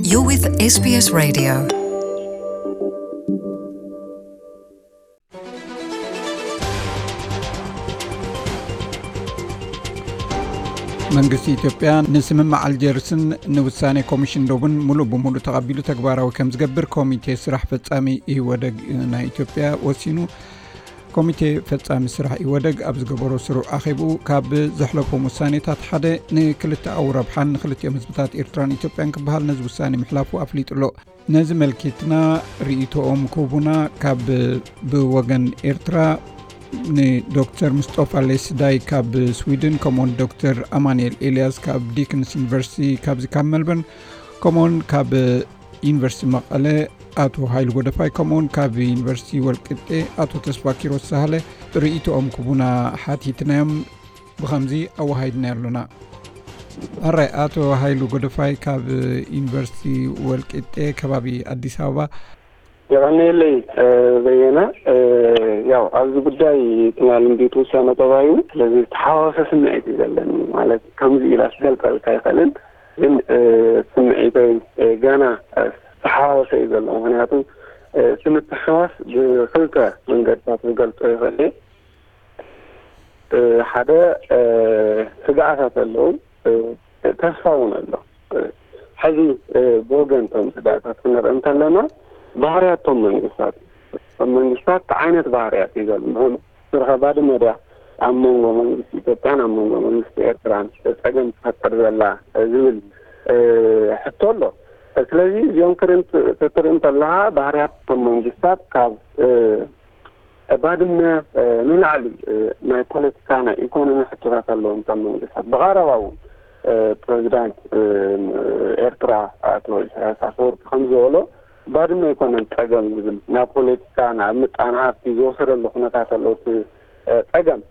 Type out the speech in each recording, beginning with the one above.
You're with S B S Radio. መንግስቲ ኢትዮጵያ ንስምምዕ ኣልጀርስን ንውሳኔ ኮሚሽን ዶብን ሙሉእ ብሙሉእ ተቐቢሉ ተግባራዊ ከም ዝገብር ኮሚቴ ስራሕ ፈጻሚ ኢህወደግ ናይ ኢትዮጵያ ወሲኑ። ኮሚቴ ፈጻሚ ስራሕ ኢህወደግ ኣብ ዝገበሮ ስሩዕ ኣኼብኡ፣ ካብ ዘሕለፎም ውሳኔታት ሓደ ንክልተኣዊ ረብሓን ንክልቲኦም ህዝብታት ኤርትራን ኢትዮጵያን ክበሃል ነዚ ውሳኔ ምሕላፉ ኣፍሊጡ ኣሎ። ነዚ መልኪትና ርእይቶኦም ክህቡና ካብ ብወገን ኤርትራ ንዶክተር ምስጦፋ ሌስዳይ ካብ ስዊድን፣ ከምኡውን ዶክተር ኣማኑኤል ኤልያስ ካብ ዲክንስ ዩኒቨርሲቲ ካብዚ ካብ መልበርን፣ ከምኡውን ካብ ዩኒቨርሲቲ መቐለ ኣቶ ሃይሉ ጎደፋይ፣ ከምኡውን ካብ ዩኒቨርሲቲ ወልቂጤ ኣቶ ተስፋ ኪሮስ ሳህለ ርእይቶኦም ክቡና ሓቲትናዮም። ብኸምዚ ኣወሃሂድና ኣሎና። ኣራይ፣ ኣቶ ሃይሉ ጎደፋይ ካብ ዩኒቨርሲቲ ወልቂጤ ከባቢ ኣዲስ ኣበባ። የቐንየለይ፣ እ፣ በየነ። እ፣ ያው ኣብዚ ጉዳይ ትማሊ እንዲት ውሳነ ተባሂሉ፣ ስለዚ ዝተሓዋወሰ ስምዒት እዩ ዘለኒ። ማለት ከምዚ ኢላ ክገልጸልካ ኣይኽእልን፣ ግን፣ እ፣ ስምዒተይ፣ እ፣ ገና፣ እ፣ ዝተሓዋወሰ እዩ ዘሎ። ምኽንያቱ፣ እ፣ እቲ ምትሕዋስ ብኽልተ መንገድታት ክገልጾ ይኽእል እየ። እ፣ ሓደ፣ እ፣ ስግኣታት ኣለዉ፣ እ፣ ተስፋ እውን ኣሎ። እ፣ ሕዚ፣ እ፣ ብወገን እቶም ስግኣታት ክንርኢ እንተለና፣ ባህርያት እቶም መንግስታት፣ እቶም መንግስታት እንታይ ዓይነት ባህርያት እዩ ዘሎ? ንኹን ስርኸ ባድመ ድያ ኣብ መንጎ መንግስቲ ኢትዮጵያን ኣብ መንጎ መንግስቲ ኤርትራን ጸገም ትፈጥር ዘላ ዝብል፣ እ፣ ሕቶ ኣሎ። ስለዚ እዚኦም ክርን-፣ ክትርኢ እንተለኻ፣ ባህርያት እቶም መንግስታት ካብ፣ እ፣ ባድመ፣ እ፣ ንላዕሊ፣ እ፣ ናይ ፖለቲካ፣ ናይ ኢኮኖሚ ሕቶታት ኣለዎም እቶም መንግስታት። ብቐረባ እውን፣ እ፣ ፕሬዚዳንት፣ እ፣ ኤርትራ ኣቶ ኢሳያስ ኣፈወርቂ ከም ዝበሎ፣ ባድመ ኣይኮነን ጸገም ዝብል፣ ናብ ፖለቲካ፣ ናብ ምጣነ ሃብቲ ዝወሰደሉ ኩነታት ኣሎ እቲ፣ እ፣ ጸገም።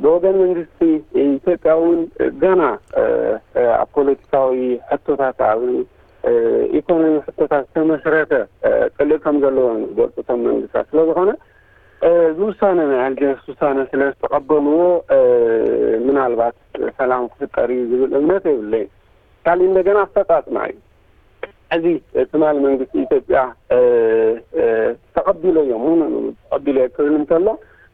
ብወገን መንግስቲ ኢትዮጵያ እውን ገና፣ እ፣ እ፣ ኣብ ፖለቲካዊ ሕቶታት፣ ኣብ፣ እ፣ ኢኮኖሚ ሕቶታት ዝተመስረተ፣ እ፣ ጽልኢ ከም ዘለዎ እዮም ዝገልጹ እቶም መንግስታት። ስለ ዝኾነ፣ እ፣ እዚ ውሳነ ናይ ኣልጀርስ ውሳነ ስለ ዝተቐበልዎ፣ እ፣ ምናልባት ሰላም ክፍጠር እዩ ዝብል እምነት የብለይን። ካሊእ እንደገና ኣፈጻጽማ እዩ። ሕዚ ትማሊ መንግስቲ ኢትዮጵያ፣ እ፣ እ፣ ተቐቢለዮ፣ ሙሉእ ንሙሉእ ተቐቢለዮ ክብል እንከሎ፣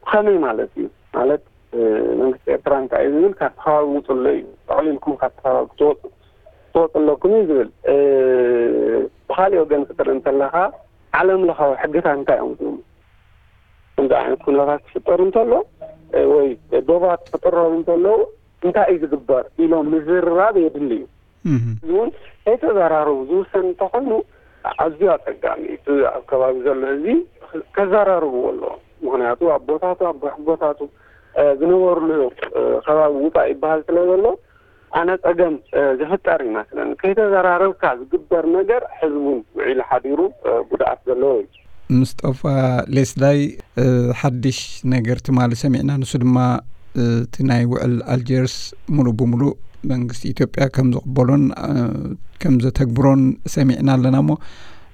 ብኸመይ ማለት እዩ? ማለት፣ እ፣ መንግስቲ ኤርትራ እንታይ እዩ ዝብል? ካብቲ ከባቢ ውጹ ኣሎ እዩ። ጠቕሊልኩም ካብቲ ከባቢ ክትወጹ፣ ክትወጹ ኣለኩም እዩ ዝብል። እ፣ ብኻሊእ ወገን ክትርኢ እንተለኻ፣ ዓለም ለኻዊ ሕግታት እንታይ እዮም ዝብሉ? ከምዚ ዓይነት ኩነታት ክፍጠር እንተሎ፣ እ፣ ወይ ዶባት ክጥረሩ እንተለዉ፣ እንታይ እዩ ዝግበር ኢሎም ምዝርራብ የድሊ እዩ። እህ። እዚ እውን ከይተዘራረቡ ዝውሰን እንተኾይኑ፣ ኣዝዩ ኣጸጋሚ እዩ። እቲ ኣብ ከባቢ ዘሎ ህዝቢ ከዘራርብዎ ኣለዎም። ምኽንያቱ ኣቦታቱ፣ ኣቦ-፣ ኣቦታቱ፣ እ፣ ዝነበሩሉ፣ እ፣ ከባቢ ውጻእ ይበሃል ስለ ዘሎ፣ ኣነ ጸገም፣ እ፣ ዝፍጠር ይመስለኒ። ከይተዘራረብካ ዝግበር ነገር ሕዚ እውን ውዒሉ ሓዲሩ፣ እ፣ ጉድኣት ዘለዎ እዩ። ምስጦፋ ሌስዳይ፣ እ፣ ሓድሽ ነገር ትማሊ ሰሚዕና። ንሱ ድማ፣ እ፣ እቲ ናይ ውዕል ኣልጀርስ ሙሉእ ብሙሉእ መንግስቲ ኢትዮጵያ ከም ዝቕበሎን፣ እ፣ ከም ዘተግብሮን ሰሚዕና ኣለና። እሞ፣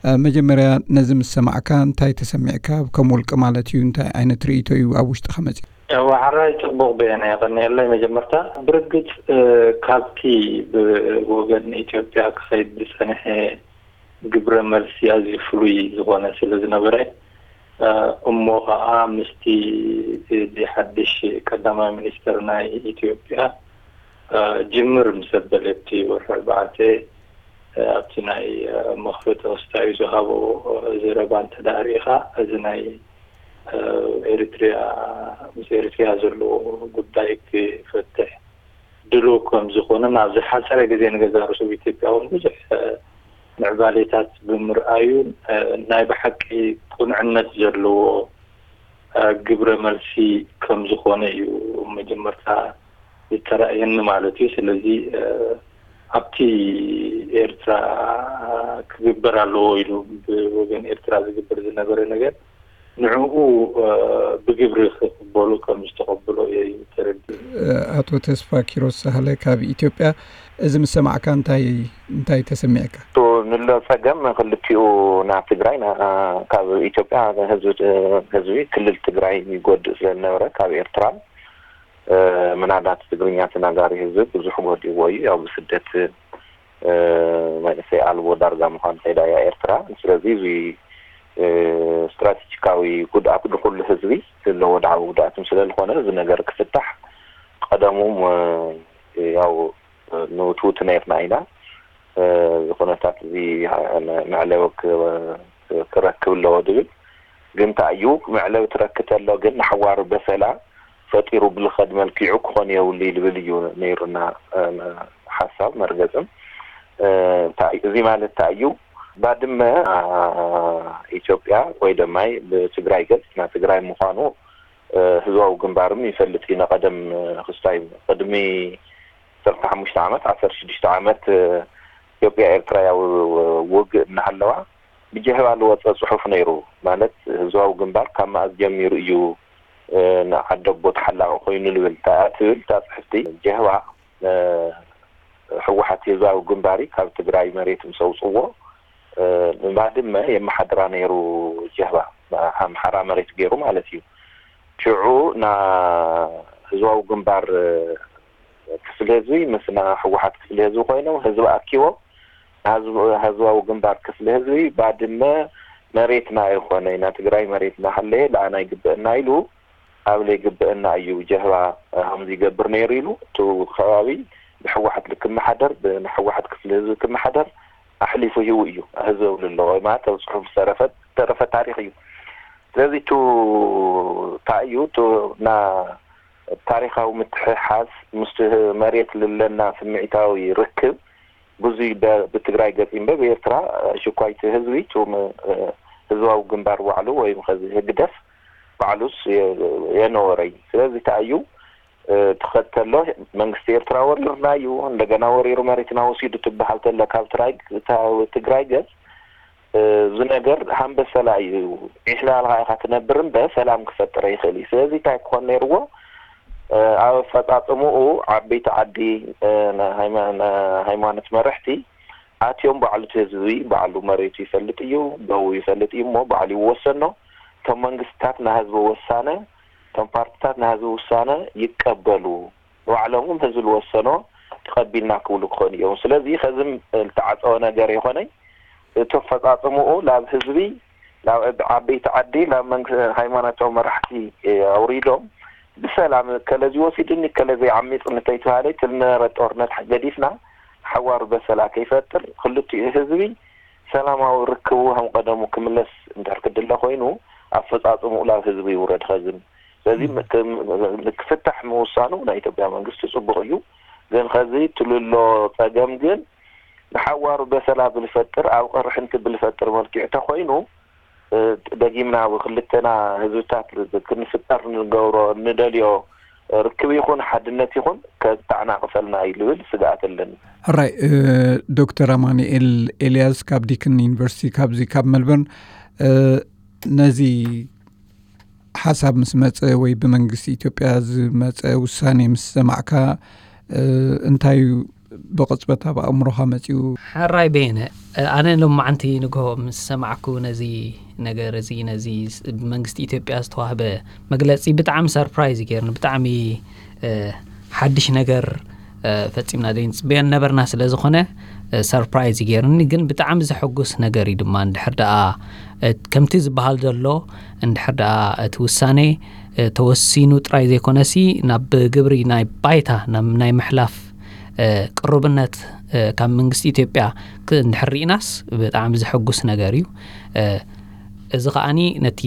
እ፣ መጀመርያ ነዚ ምስ ሰማዕካ እንታይ ተሰሚዕካ? ከም ውልቂ ማለት እዩ፣ እንታይ ዓይነት ርእይቶ እዩ ኣብ ውሽጥኻ መጺኡ? እወ፣ ሕራይ ጽቡቕ በየነ፣ የቐንየለይ። መጀመርታ ብርግጽ፣ እ፣ ካብቲ ብወገን ኢትዮጵያ ክኸይድ ዝጸንሐ ግብረ መልሲ ኣዝዩ ፍሉይ ዝኾነ ስለ ዝነበረ፣ እ፣ እሞ ኸኣ ምስቲ እቲ ሓድሽ ቀዳማይ ሚኒስተር ናይ ኢትዮጵያ፣ እ፣ ጅምር ምስ ኣበለ ኣብቲ ወርሒ ኣርባዕተ፣ እ፣ ኣብቲ ናይ፣ እ፣ መኽፈቲ ክስታዩ ዝሃቦ፣ እ፣ ዘረባ እንተ ደኣ ርኢኻ፣ እዚ ናይ፣ እ፣ ኤሪትሪያ፣ ምስ ኤሪትሪያ ዘለዎ ጉዳይ ክፈትሕ ድሉው ከም ዝኾነን ኣብ ዝሓጸረ ግዜ ንገዛእ ርእሱ ኣብ ኢትዮጵያ እውን ብዙሕ፣ እ፣ ምዕባሌታት ብምርኣዩን፣ እ፣ ናይ ብሓቂ ቅኑዕነት ዘለዎ፣ እ፣ ግብረ መልሲ ከም ዝኾነ እዩ መጀመርታ ዝተራእየኒ ማለት እዩ። ስለዚ፣ እ፣ ኣብቲ ኤርትራ ክግበር ኣለዎ ኢሉ ብወገን ኤርትራ ዝግበር ዝነበረ ነገር ንዕኡ፣ እ፣ ብግብሪ ክቕበሉ ከም ዝተቐብሎ እየ ተረዲኡ። ኣቶ ተስፋ ኪሮስ ሳህለ ካብ ኢትዮጵያ፣ እዚ ምስ ሰማዕካ እንታይ፣ እንታይ ተሰሚዕካ? እቱ ንሎ ጸገም ክልቲኡ ናብ ትግራይ፣ ና-፣ ካብ ኢትዮጵያ ህዝቢ፣ ህዝቢ ክልል ትግራይ ይጎድእ ስለ ዝነበረ ካብ ኤርትራ፣ እ፣ ምናልባት ትግርኛ ተናጋሪ ህዝቢ ብዙሕ ጎዲእዎ እዩ። ያው ብስደት መንእሰይ ኣልቦ ዳርጋ ምዃን ከይዳ እያ ኤርትራ። ስለዚ እዚ ስትራቴጂካዊ ጉድኣት ንኩሉ ህዝቢ ዘለዎ ወድዓዊ ጉድኣት ስለ ዝኾነ፣ እዚ ነገር ክፍታሕ ቀደሙ ያው ንውትውት ነርና ኢና። እዚ ኩነታት እዚ መዕለዊ ክረክብ ኣለዎ ድብል። ግን እንታይ እዩ፣ መዕለዊ ትረክብ ተሎ ግን ንሓዋሩ በሰላ ፈጢሩ ብልኸድ መልኪዑ ክኾን የብሉ እዩ ድብል እዩ ነይሩና ሓሳብ መርገፅም። እዚ ማለት እንታይ እዩ፣ ባድመ ኢትዮጵያ ወይ ደማይ ብትግራይ ገፅ ናይ ትግራይ ምዃኑ ህዝባዊ ግንባርም ይፈልጥ እዩ። ነቀደም ክስታይ ቅድሚ ዓሰርተ ሓሙሽተ ዓመት፣ ዓሰርተ ሽዱሽተ ዓመት ኢትዮጵያ ኤርትራያዊ ውግእ እናሃለዋ ብጀህባ ዝወፀ ፅሑፍ ነይሩ። ማለት ህዝባዊ ግንባር ካብ መኣዝ ጀሚሩ እዩ ንዓደቦ ተሓላቂ ኮይኑ ንብል ትብል እታ ፅሕፍቲ። ጀህባ ህወሓት ህዝባዊ ግንባሪ ካብ ትግራይ መሬት ምስ ኣውፅዎ ንባድመ የመሓድራ ነይሩ። ጀህባ ኣምሓራ መሬት ገይሩ ማለት እዩ። ሽዑ ና ህዝባዊ ግንባር ክፍሊ ህዝቢ ምስ ና ህወሓት ክፍሊ ህዝቢ ኮይኖም ህዝቢ ኣኪቦም ህዝባዊ ግንባር ክፍሊ ህዝቢ ባድመ መሬትና ኣይኮነ፣ ናይ ትግራይ መሬትና ሃለየ ለኣና ይግበአና ኢሉ ኣብ ለይግበአና እዩ ጀህባ ከምዚ ይገብር ነይሩ ኢሉ እቲ ከባቢ ብህወሓት ልክመሓደር ብህወሓት ክፍሊ ህዝቢ ክመሓደር ኣሕሊፉ ሂቡ እዩ። ህዝቢ ብሉ ኣለዎ ማለት ኣብ ፅሑፍ ዝተረፈ ዝተረፈ ታሪክ እዩ። ስለዚ ቱ እንታይ እዩ ቱ ና ታሪካዊ ምትሕሓዝ ምስቲ መሬት ልለና ስምዒታዊ ርክብ ብዙ ብትግራይ ገፂ እምበ ብኤርትራ ሽኳይቲ ህዝቢ ቱም ህዝባዊ ግንባር ባዕሉ ወይም ከዚ ህግደፍ ባዕሉስ የነወረይ። ስለዚ እንታይ እዩ ትኸተሎ መንግስቲ ኤርትራ ወሪርና እዩ እንደገና ወሪሩ መሬትና ወሲዱ ትበሃል ተለ ካብ ትግራይ ገፅ እዚ ነገር ሃምበሰላ እዩ። ዒሕላልካ ኢኻ ትነብር እምበር ሰላም ክፈጥር ይኽእል እዩ። ስለዚ እንታይ ክኾን ነይርዎ? ኣብ ኣፈፃፅምኡ ዓበይቲ ዓዲ ሃይማኖት መረሕቲ ኣትዮም ባዕሉ እቲ ህዝቢ ባዕሉ መሬቱ ይፈልጥ እዩ፣ ደቡ ይፈልጥ እዩ እሞ ባዕሉ ይወሰኖ። እቶም መንግስትታት ናይ ህዝቢ ውሳነ፣ እቶም ፓርትታት ናይ ህዝቢ ውሳነ ይቀበሉ። ባዕሎም ህዝቢ ዝወሰኖ ተቐቢልና ክብሉ ክኾኑ እዮም። ስለዚ ከዚ ዝተዓፀወ ነገር ይኾነይ እቲ ኣፈፃፅምኡ ናብ ህዝቢ ናብ ዓበይቲ ዓዲ ናብ መንግስቲ ሃይማኖታዊ መራሕቲ ኣውሪዶም ብሰላም ከለዚ ወሲድኒ ከለዚ ዓሚፅ እንተይተባሃለ እቲ ዝነበረ ጦርነት ገዲፍና ሓዋሩ በሰላ ከይፈጥር ክልቲኡ ህዝቢ ሰላማዊ ርክቡ ከም ቀደሙ ክምለስ እንድሕር ክድለ ኮይኑ ኣፈፃፅምኡ ናብ ህዝቢ ይውረድ ከዝን ስለዚ ክፍታሕ ምውሳኑ ናይ ኢትዮጵያ መንግስቲ ፅቡቅ እዩ። ግን ከዚ ትልሎ ፀገም ግን ንሓዋሩ በሰላ ብልፈጥር ኣብ ቅርሕንቲ ብልፈጥር መልክዕ ተኮይኑ ደጊምና ብክልተና ህዝብታት ክንፍጠር ንገብሮ ንደልዮ ርክብ ይኹን ሓድነት ይኹን ከተዓናቅፈልና እዩ ዝብል ስግኣት ኣለኒ። ሕራይ ዶክተር ኣማኑኤል ኤልያስ ካብ ዲክን ዩኒቨርሲቲ ካብዚ ካብ መልበርን ነዚ ሓሳብ ምስ መፀ ወይ ብመንግስቲ ኢትዮጵያ ዝመፀ ውሳኔ ምስ ሰማዕካ እንታይ እዩ ብቕፅበት ኣብ ኣእምሮኻ መፂኡ? ሕራይ በየነ፣ ኣነ ሎማዓንቲ ንግሆ ምስ ሰማዕኩ ነዚ ነገር እዚ ነዚ ብመንግስቲ ኢትዮጵያ ዝተዋህበ መግለፂ ብጣዕሚ ሰርፕራይዝ ገይርኒ። ብጣዕሚ ሓድሽ ነገር ፈፂምና ዘይንፅበዮ ነበርና ስለ ዝኾነ ሰርፕራይዝ ገይርኒ። ግን ብጣዕሚ ዘሐጉስ ነገር እዩ ድማ እንድሕር ደኣ ከምቲ ዝበሃል ዘሎ እንድሕር ደኣ እቲ ውሳኔ ተወሲኑ ጥራይ ዘይኮነሲ ናብ ግብሪ ናይ ባይታ ናይ ምሕላፍ ቅሩብነት ካብ መንግስቲ ኢትዮጵያ እንድሕር ርኢናስ ብጣዕሚ ዘሐጉስ ነገር እዩ። እዚ ከዓኒ ነቲ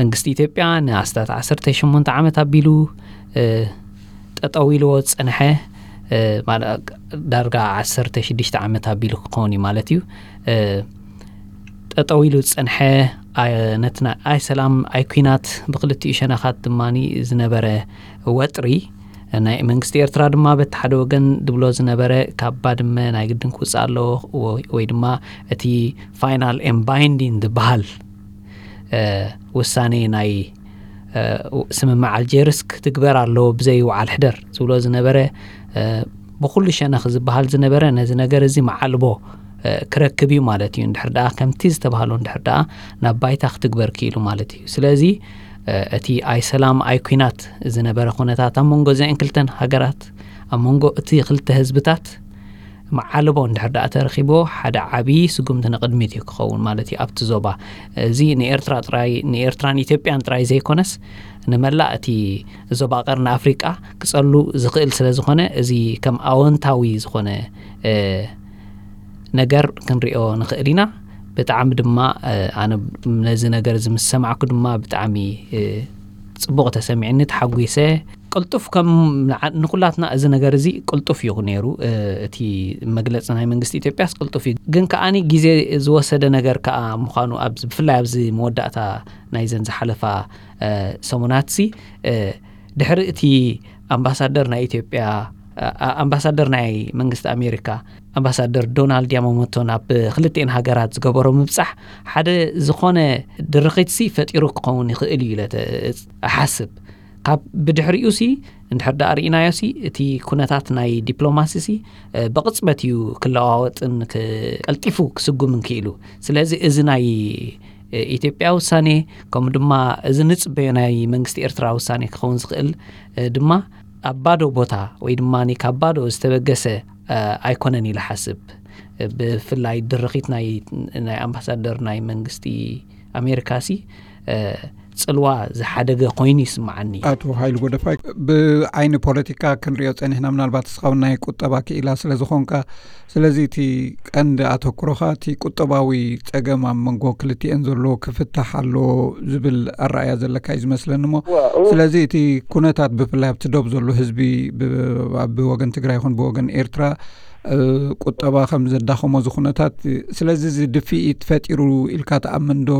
መንግስቲ ኢትዮጵያ ንኣስታት ዓሰርተ ሸሞንተ ዓመት ኣቢሉ ጠጠው ኢልዎ ዝፀንሐ ዳርጋ ዓሰርተ ሽዱሽተ ዓመት ኣቢሉ ክኸውን እዩ ማለት እዩ። ጠጠው ኢሉ ዝፀንሐ ነቲ ኣይ ሰላም ኣይ ኩናት ብክልቲኡ ሸነኻት ድማ ዝነበረ ወጥሪ ናይ መንግስቲ ኤርትራ ድማ በቲ ሓደ ወገን ዝብሎ ዝነበረ ካብ ባድመ ናይ ግድን ክውፅእ ኣለዎ ወይ ድማ እቲ ፋይናል ኤን ባይንዲን ዝበሃል ውሳኔ ናይ ስምምዕ ኣልጀርስ ክትግበር ኣለዎ ብዘይ ውዓል ሕደር ዝብሎ ዝነበረ ብኩሉ ሸነኽ ዝበሃል ዝነበረ ነዚ ነገር እዚ መዓልቦ ክረክብ እዩ ማለት እዩ። እንድሕር ደኣ ከምቲ ዝተባህሎ እንድሕር ደኣ ናብ ባይታ ክትግበር ክኢሉ ማለት እዩ። ስለዚ እቲ ኣይ ሰላም ኣይ ኩናት ዝነበረ ኩነታት ኣብ መንጎ እዚአን ክልተን ሃገራት ኣብ መንጎ እቲ ክልተ ህዝብታት መዓልቦ እንድሕር ደኣ ተረኺብዎ ሓደ ዓብዪ ስጉምቲ ንቕድሚት እዩ ክኸውን ማለት እዩ ኣብቲ ዞባ። እዚ ንኤርትራ ጥራይ ንኤርትራን ኢትዮጵያን ጥራይ ዘይኮነስ ንመላእ እቲ ዞባ ቀርኒ ኣፍሪቃ ክጸሉ ዝኽእል ስለ ዝኾነ እዚ ከም ኣወንታዊ ዝኾነ ነገር ክንሪኦ ንኽእል ኢና። ብጣዕሚ ድማ ኣነ ነዚ ነገር እዚ ምስ ሰማዕኩ ድማ ብጣዕሚ ጽቡቕ ተሰሚዕኒ፣ ተሓጒሰ። ቅልጡፍ ከም ንዓ- ንኩላትና እዚ ነገር እዚ ቅልጡፍ እዩ ነይሩ። እቲ መግለፂ ናይ መንግስቲ ኢትዮጵያስ ቅልጡፍ እዩ፣ ግን ከዓኒ ግዜ ዝወሰደ ነገር ከዓ ምዃኑ ብፍላይ ኣብዚ መወዳእታ ናይዘን ዝሓለፋ ሰሙናትሲ ድሕሪ እቲ ኣምባሳደር ናይ ኢትዮጵያ ኣምባሳደር ናይ መንግስቲ ኣሜሪካ ኣምባሳደር ዶናልድ ያማሞቶ ናብ ክልቲኤን ሃገራት ዝገበሮ ምብፃሕ ሓደ ዝኾነ ድርኺትሲ ፈጢሩ ክኸውን ይኽእል እዩ ኢለ እሓስብ። ካብ ብድሕሪኡ ሲ እንድሕር ደኣ ርኢናዮ ሲ እቲ ኩነታት ናይ ዲፕሎማሲ ሲ ብቕፅበት እዩ ክለዋወጥን ቀልጢፉ ክስጉምን ክኢሉ። ስለዚ እዚ ናይ ኢትዮጵያ ውሳኔ ከምኡ ድማ እዚ ንፅበዮ ናይ መንግስቲ ኤርትራ ውሳኔ ክኸውን ዝኽእል ድማ ኣብ ባዶ ቦታ ወይ ድማ ካብ ባዶ ዝተበገሰ ኣይኮነን ኢለ ሓስብ። ብፍላይ ድርኺት ናይ ኣምባሳደር ናይ መንግስቲ ኣሜሪካ ሲ ፅልዋ ዝሓደገ ኮይኑ ይስምዓኒ። ኣቶ ሃይሉ ጎደፋይ፣ ብዓይኒ ፖለቲካ ክንሪኦ ፀኒሕና፣ ምናልባት እስኻ እውን ናይ ቁጠባ ክኢላ ስለ ዝኾንካ፣ ስለዚ እቲ ቀንዲ ኣተኩሮኻ እቲ ቁጠባዊ ፀገም ኣብ መንጎ ክልቲኤን ዘሎ ክፍታሕ ኣሎ ዝብል ኣረኣያ ዘለካ እዩ ዝመስለኒ። እሞ ስለዚ እቲ ኩነታት ብፍላይ ኣብቲ ዶብ ዘሎ ህዝቢ ብወገን ትግራይ ይኹን ብወገን ኤርትራ ቁጠባ ከም ዘዳኸሞ እዚ ኩነታት፣ ስለዚ እዚ ድፍኢት ፈጢሩ ኢልካ ትኣምን ዶ?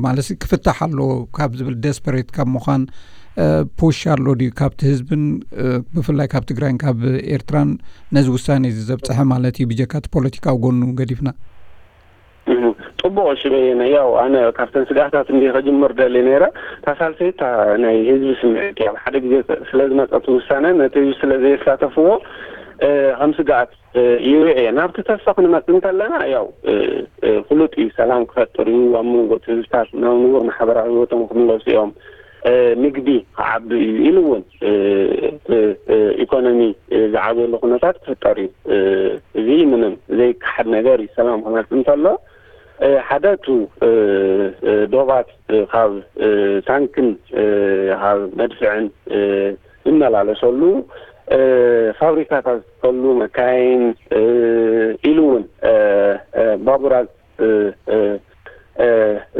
ማለት ክፍታሕ ኣሎ ካብ ዝብል ደስፐሬት ካብ ምዃን ፑሽ ኣሎ ድዩ ካብቲ ህዝብን ብፍላይ ካብ ትግራይን ካብ ኤርትራን ነዚ ውሳኔ እዚ ዘብፅሐ ማለት እዩ፣ ብጀካ እቲ ፖለቲካዊ ጎኑ ገዲፍና? ጽቡቕ። እሺ በየነ፣ ያው ኣነ ካብተን ስጋታት እንዲ ከጅምር ደሊ ነይረ። እታ ሳልሰይቲ ናይ ህዝቢ ስምዒት እያ። ኣብ ሓደ ግዜ ስለ ዝመጸት ውሳነ ነቲ ህዝቢ ስለ ዘየሳተፍዎ ከም ስጋኣት ይርኤ። ናብቲ ተስፋ ክንመጽእ እንተለና ያው ፍሉጥ እዩ፣ ሰላም ክፈጥር እዩ፣ ኣብ መንጎ ህዝብታት ናብ ንቡር ማሕበራዊ ህይወቶም ክምለሱ እዮም፣ ምግቢ ክዓቢ እዩ ኢሉ እውን ኢኮኖሚ ዝዓብየሉ ኩነታት ክፍጠር እዩ። እዚ ምንም ዘይከሓድ ነገር እዩ። ሰላም ክመጽእ እንተሎ ሓደ እቱ ዶባት ካብ ታንክን ካብ መድፍዕን ዝመላለሰሉ ፋብሪካታት ዝትከሉ መካይን ኢሉ እውን ባቡራት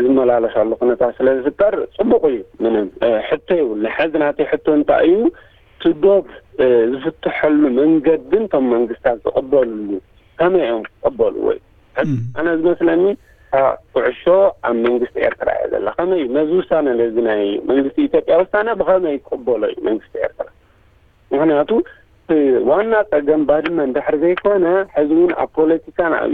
ዝመላለሳሉ ኩነታት ስለ ዝፍጠር ጽቡቕ እዩ። ምንም ሕቶ ይብሉ። ሕዚ ናተይ ሕቶ እንታይ እዩ? እቲ ዶብ ዝፍትሐሉ መንገዲ እቶም መንግስታት ዝቕበልሉ ከመይ እዮም ክቐበልዎ እዩ? ሕዚ ኣነ ዝመስለኒ እታ ኩዕሾ ኣብ መንግስቲ ኤርትራ እያ ዘላ። ከመይ ነዚ ውሳነ ነዚ ናይ መንግስቲ ኢትዮጵያ ውሳነ ብኸመይ ይቀበሎ እዩ መንግስቲ ኤርትራ? ምክንያቱ ዋና ጸገም ባድመ እንድሕር ዘይኮነ ሕዚ እውን ኣብ ፖለቲካን ኣብ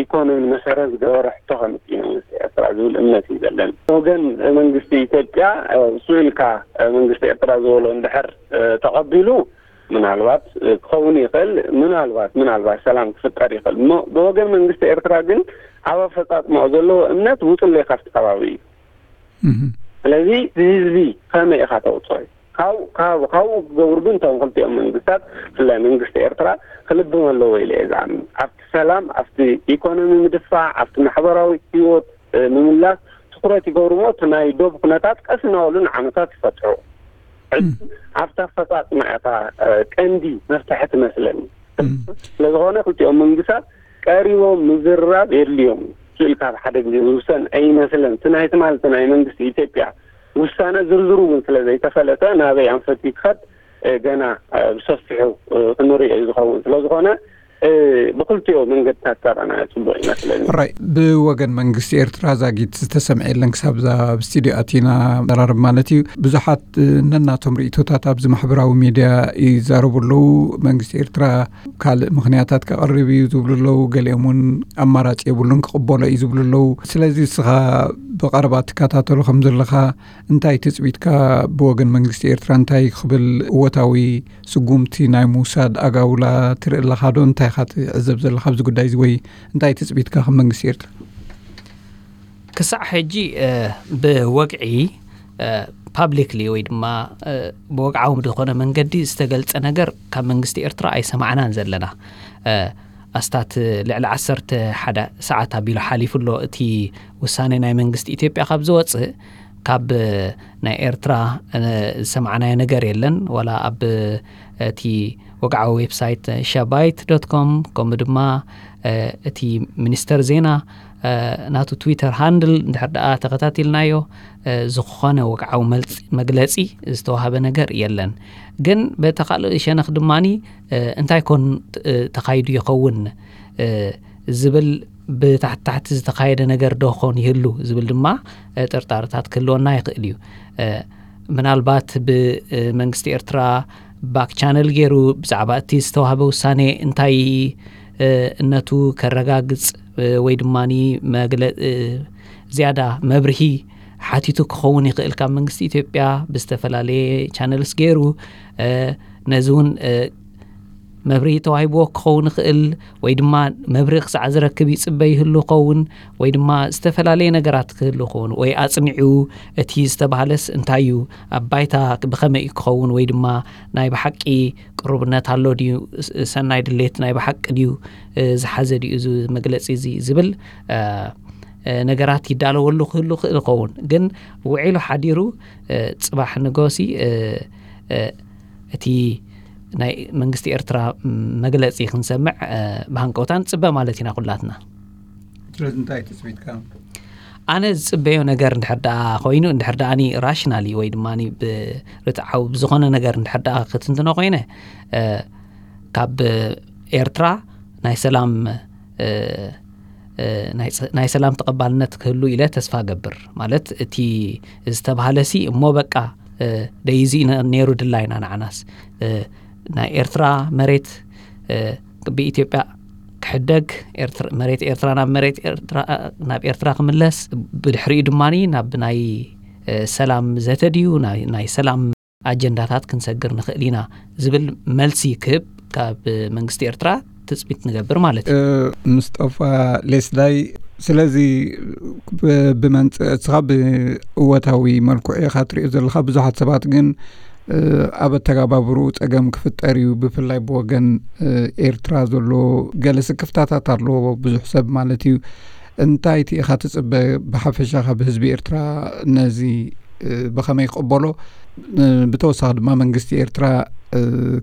ኢኮኖሚ መሰረት ዝገበረ ሕቶ ከምጽእ መንግስቲ ኤርትራ ዝብል እምነት እዩ ዘለኒ። ወገን መንግስቲ ኢትዮጵያ እሱ ኢልካ መንግስቲ ኤርትራ ዝበሎ እንድሕር ተቐቢሉ ምናልባት ክኸውን ይኽእል፣ ምናልባት ምናልባት ሰላም ክፍጠር ይኽእል። ብወገን መንግስቲ ኤርትራ ግን ኣብ ኣፈጻጽማኡ ዘለዎ እምነት ውፅለይ ካብቲ ከባቢ እዩ። ስለዚ ህዝቢ ከመይ ኢኻ ተውፅኦ? ካብኡ ክገብሩ ግን እቶም ክልቲኦም መንግስታት ብፍላይ መንግስቲ ኤርትራ ክልብም ኣለዎ ኢለ እየ ዝኣምን። ኣብቲ ሰላም፣ ኣብቲ ኢኮኖሚ ምድፋዕ፣ ኣብቲ ማሕበራዊ ህይወት ምምላስ ትኩረት ይገብሩ እሞ እቲ ናይ ዶብ ኩነታት ቀስ እናበሉ ንዓመታት ይፈትሑ። ኣብቲ ኣፈፃፅማ እታ ቀንዲ መፍትሒ ትመስለኒ። ስለዝኾነ ክልቲኦም መንግስታት ቀሪቦም ምዝርራብ የድልዮም። ስእልካ ኣብ ሓደ ግዜ ዝውሰን ኣይመስለን። እቲ ናይ ትማሊ ናይ መንግስቲ ኢትዮጵያ ውሳነ ዝርዝሩ እውን ስለ ዘይተፈለጠ ናበይ ኣንፈት ክኸድ ገና ብሰፊሑ ክንሪኦ እዩ ዝኸውን። ስለዝኾነ ብክልቲኦ መንገድታት ተረና ጽቡቕ ይመስለኒ። ራይ፣ ብወገን መንግስቲ ኤርትራ ዛጊት ዝተሰምዐ የለን ክሳብ እዛ ኣብ ስቱዲዮ ኣቲና ዘራርብ ማለት እዩ። ብዙሓት ነናቶም ርእቶታት ኣብዚ ማሕበራዊ ሚድያ ይዛረቡ ኣለዉ። መንግስቲ ኤርትራ ካልእ ምኽንያታት ከቕርብ እዩ ዝብሉ ኣለዉ። ገሊኦም እውን ኣማራጺ የብሉን ክቕበሎ እዩ ዝብሉ ኣለዉ። ስለዚ እስኻ ብቐረባ ትከታተሎ ከም ዘለኻ እንታይ ትጽቢትካ ብወገን መንግስቲ ኤርትራ እንታይ ክብል እወታዊ ስጉምቲ ናይ ምውሳድ ኣጋውላ ትርኢ ኣለኻ ዶ? እንታይ ኢኻ ትዕዘብ ዘለኻ ኣብዚ ጉዳይ እዚ ወይ እንታይ ትጽቢትካ ከም መንግስቲ ኤርትራ? ክሳዕ ሕጂ ብወግዒ ፓብሊክሊ ወይ ድማ ብወግዓዊ ዝኾነ መንገዲ ዝተገልጸ ነገር ካብ መንግስቲ ኤርትራ ኣይሰማዕናን ዘለና። ኣስታት ልዕሊ ዓሰርተ ሓደ ሰዓት ኣቢሉ ሓሊፉ ኣሎ። እቲ ውሳኔ ናይ መንግስቲ ኢትዮጵያ ካብ ዝወጽእ፣ ካብ ናይ ኤርትራ ዝሰማዕናዮ ነገር የለን። ዋላ ኣብ እቲ ወግዓዊ ዌብሳይት ሸባይት ዶት ኮም፣ ከምኡ ድማ እቲ ሚኒስተር ዜና ናቱ ትዊተር ሃንድል እንድሕር ደኣ ተኸታቲልናዮ፣ ዝኾነ ወግዓዊ መግለጺ ዝተዋህበ ነገር የለን። ግን በቲ ካልእ ሸነኽ ድማኒ እንታይ ኮን ተኻይዱ ይኸውን ዝብል ብታሕቲ ታሕቲ ዝተኻየደ ነገር ዶ ኾን ይህሉ ዝብል ድማ ጥርጣርታት ክህልወና ይኽእል እዩ። ምናልባት ብመንግስቲ ኤርትራ ባክ ቻነል ገይሩ ብዛዕባ እቲ ዝተዋህበ ውሳኔ እንታይ እነቱ ከረጋግጽ ወይ ድማ ዝያዳ መብርሂ ሓቲቱ ክኸውን ይኽእል ካብ መንግስቲ ኢትዮጵያ ብዝተፈላለየ ቻነልስ ገይሩ፣ ነዚ እውን መብርሂ ተዋሂብዎ ክኸውን ይኽእል ወይ ድማ መብርሂ ክሳዕ ዝረክብ ይጽበ ይህሉ ኸውን ወይ ድማ ዝተፈላለየ ነገራት ክህሉ ኸውን ወይ ኣጽኒዑ እቲ ዝተባህለስ እንታይ እዩ ኣብ ባይታ ብኸመይ እዩ ክኸውን ወይ ድማ ናይ ብሓቂ ቅሩብነት ኣሎ ድዩ፣ ሰናይ ድሌት ናይ ብሓቂ ድዩ ዝሓዘ ድዩ እዚ መግለጺ እዚ ዝብል ነገራት ይዳለወሉ ክህሉ ክእል ኸውን። ግን ውዒሉ ሓዲሩ ጽባሕ ንጎሲ እቲ ናይ መንግስቲ ኤርትራ መግለጺ ክንሰምዕ ብሃንቀውታ ንጽበ ማለት ኢና ኩላትና። ስለዚ እንታይ ትጽቢትካ? ኣነ ዝጽበዮ ነገር እንድሕር ደኣ ኮይኑ፣ እንድሕር ደኣ ራሽናሊ ወይ ድማ ብርትዓዊ ብዝኾነ ነገር እንድሕር ደኣ ክትንትኖ ኮይነ፣ ካብ ኤርትራ ናይ ሰላም ናይ ሰላም ተቐባልነት ክህሉ ኢለ ተስፋ ገብር። ማለት እቲ ዝተባህለ ሲ እሞ በቃ ደይዚ ነይሩ ድላይና ንዓናስ ናይ ኤርትራ መሬት ብኢትዮጵያ ክሕደግ፣ መሬት ኤርትራ ናብ መሬት ኤርትራ፣ ናብ ኤርትራ ክምለስ፣ ብድሕሪኡ ድማ ናብ ናይ ሰላም ዘተ ድዩ ናይ ሰላም ኣጀንዳታት ክንሰግር ንኽእል ኢና ዝብል መልሲ ክህብ ካብ መንግስቲ ኤርትራ ትጽቢት ንገብር ማለት እዩ። ምስጠፋ ሌስላይ፣ ስለዚ ብመንጽ እስኻ ብእወታዊ መልክዑ ኢኻ ትሪኦ ዘለኻ። ብዙሓት ሰባት ግን ኣብ ኣተጋባብርኡ ጸገም ክፍጠር እዩ፣ ብፍላይ ብወገን ኤርትራ ዘሎ ገለ ስክፍታታት ኣሎ ብዙሕ ሰብ ማለት እዩ። እንታይ እቲ ኢኻ ትጽበ ብሓፈሻ ካብ ህዝቢ ኤርትራ ነዚ ብኸመይ ክቕበሎ፣ ብተወሳኺ ድማ መንግስቲ ኤርትራ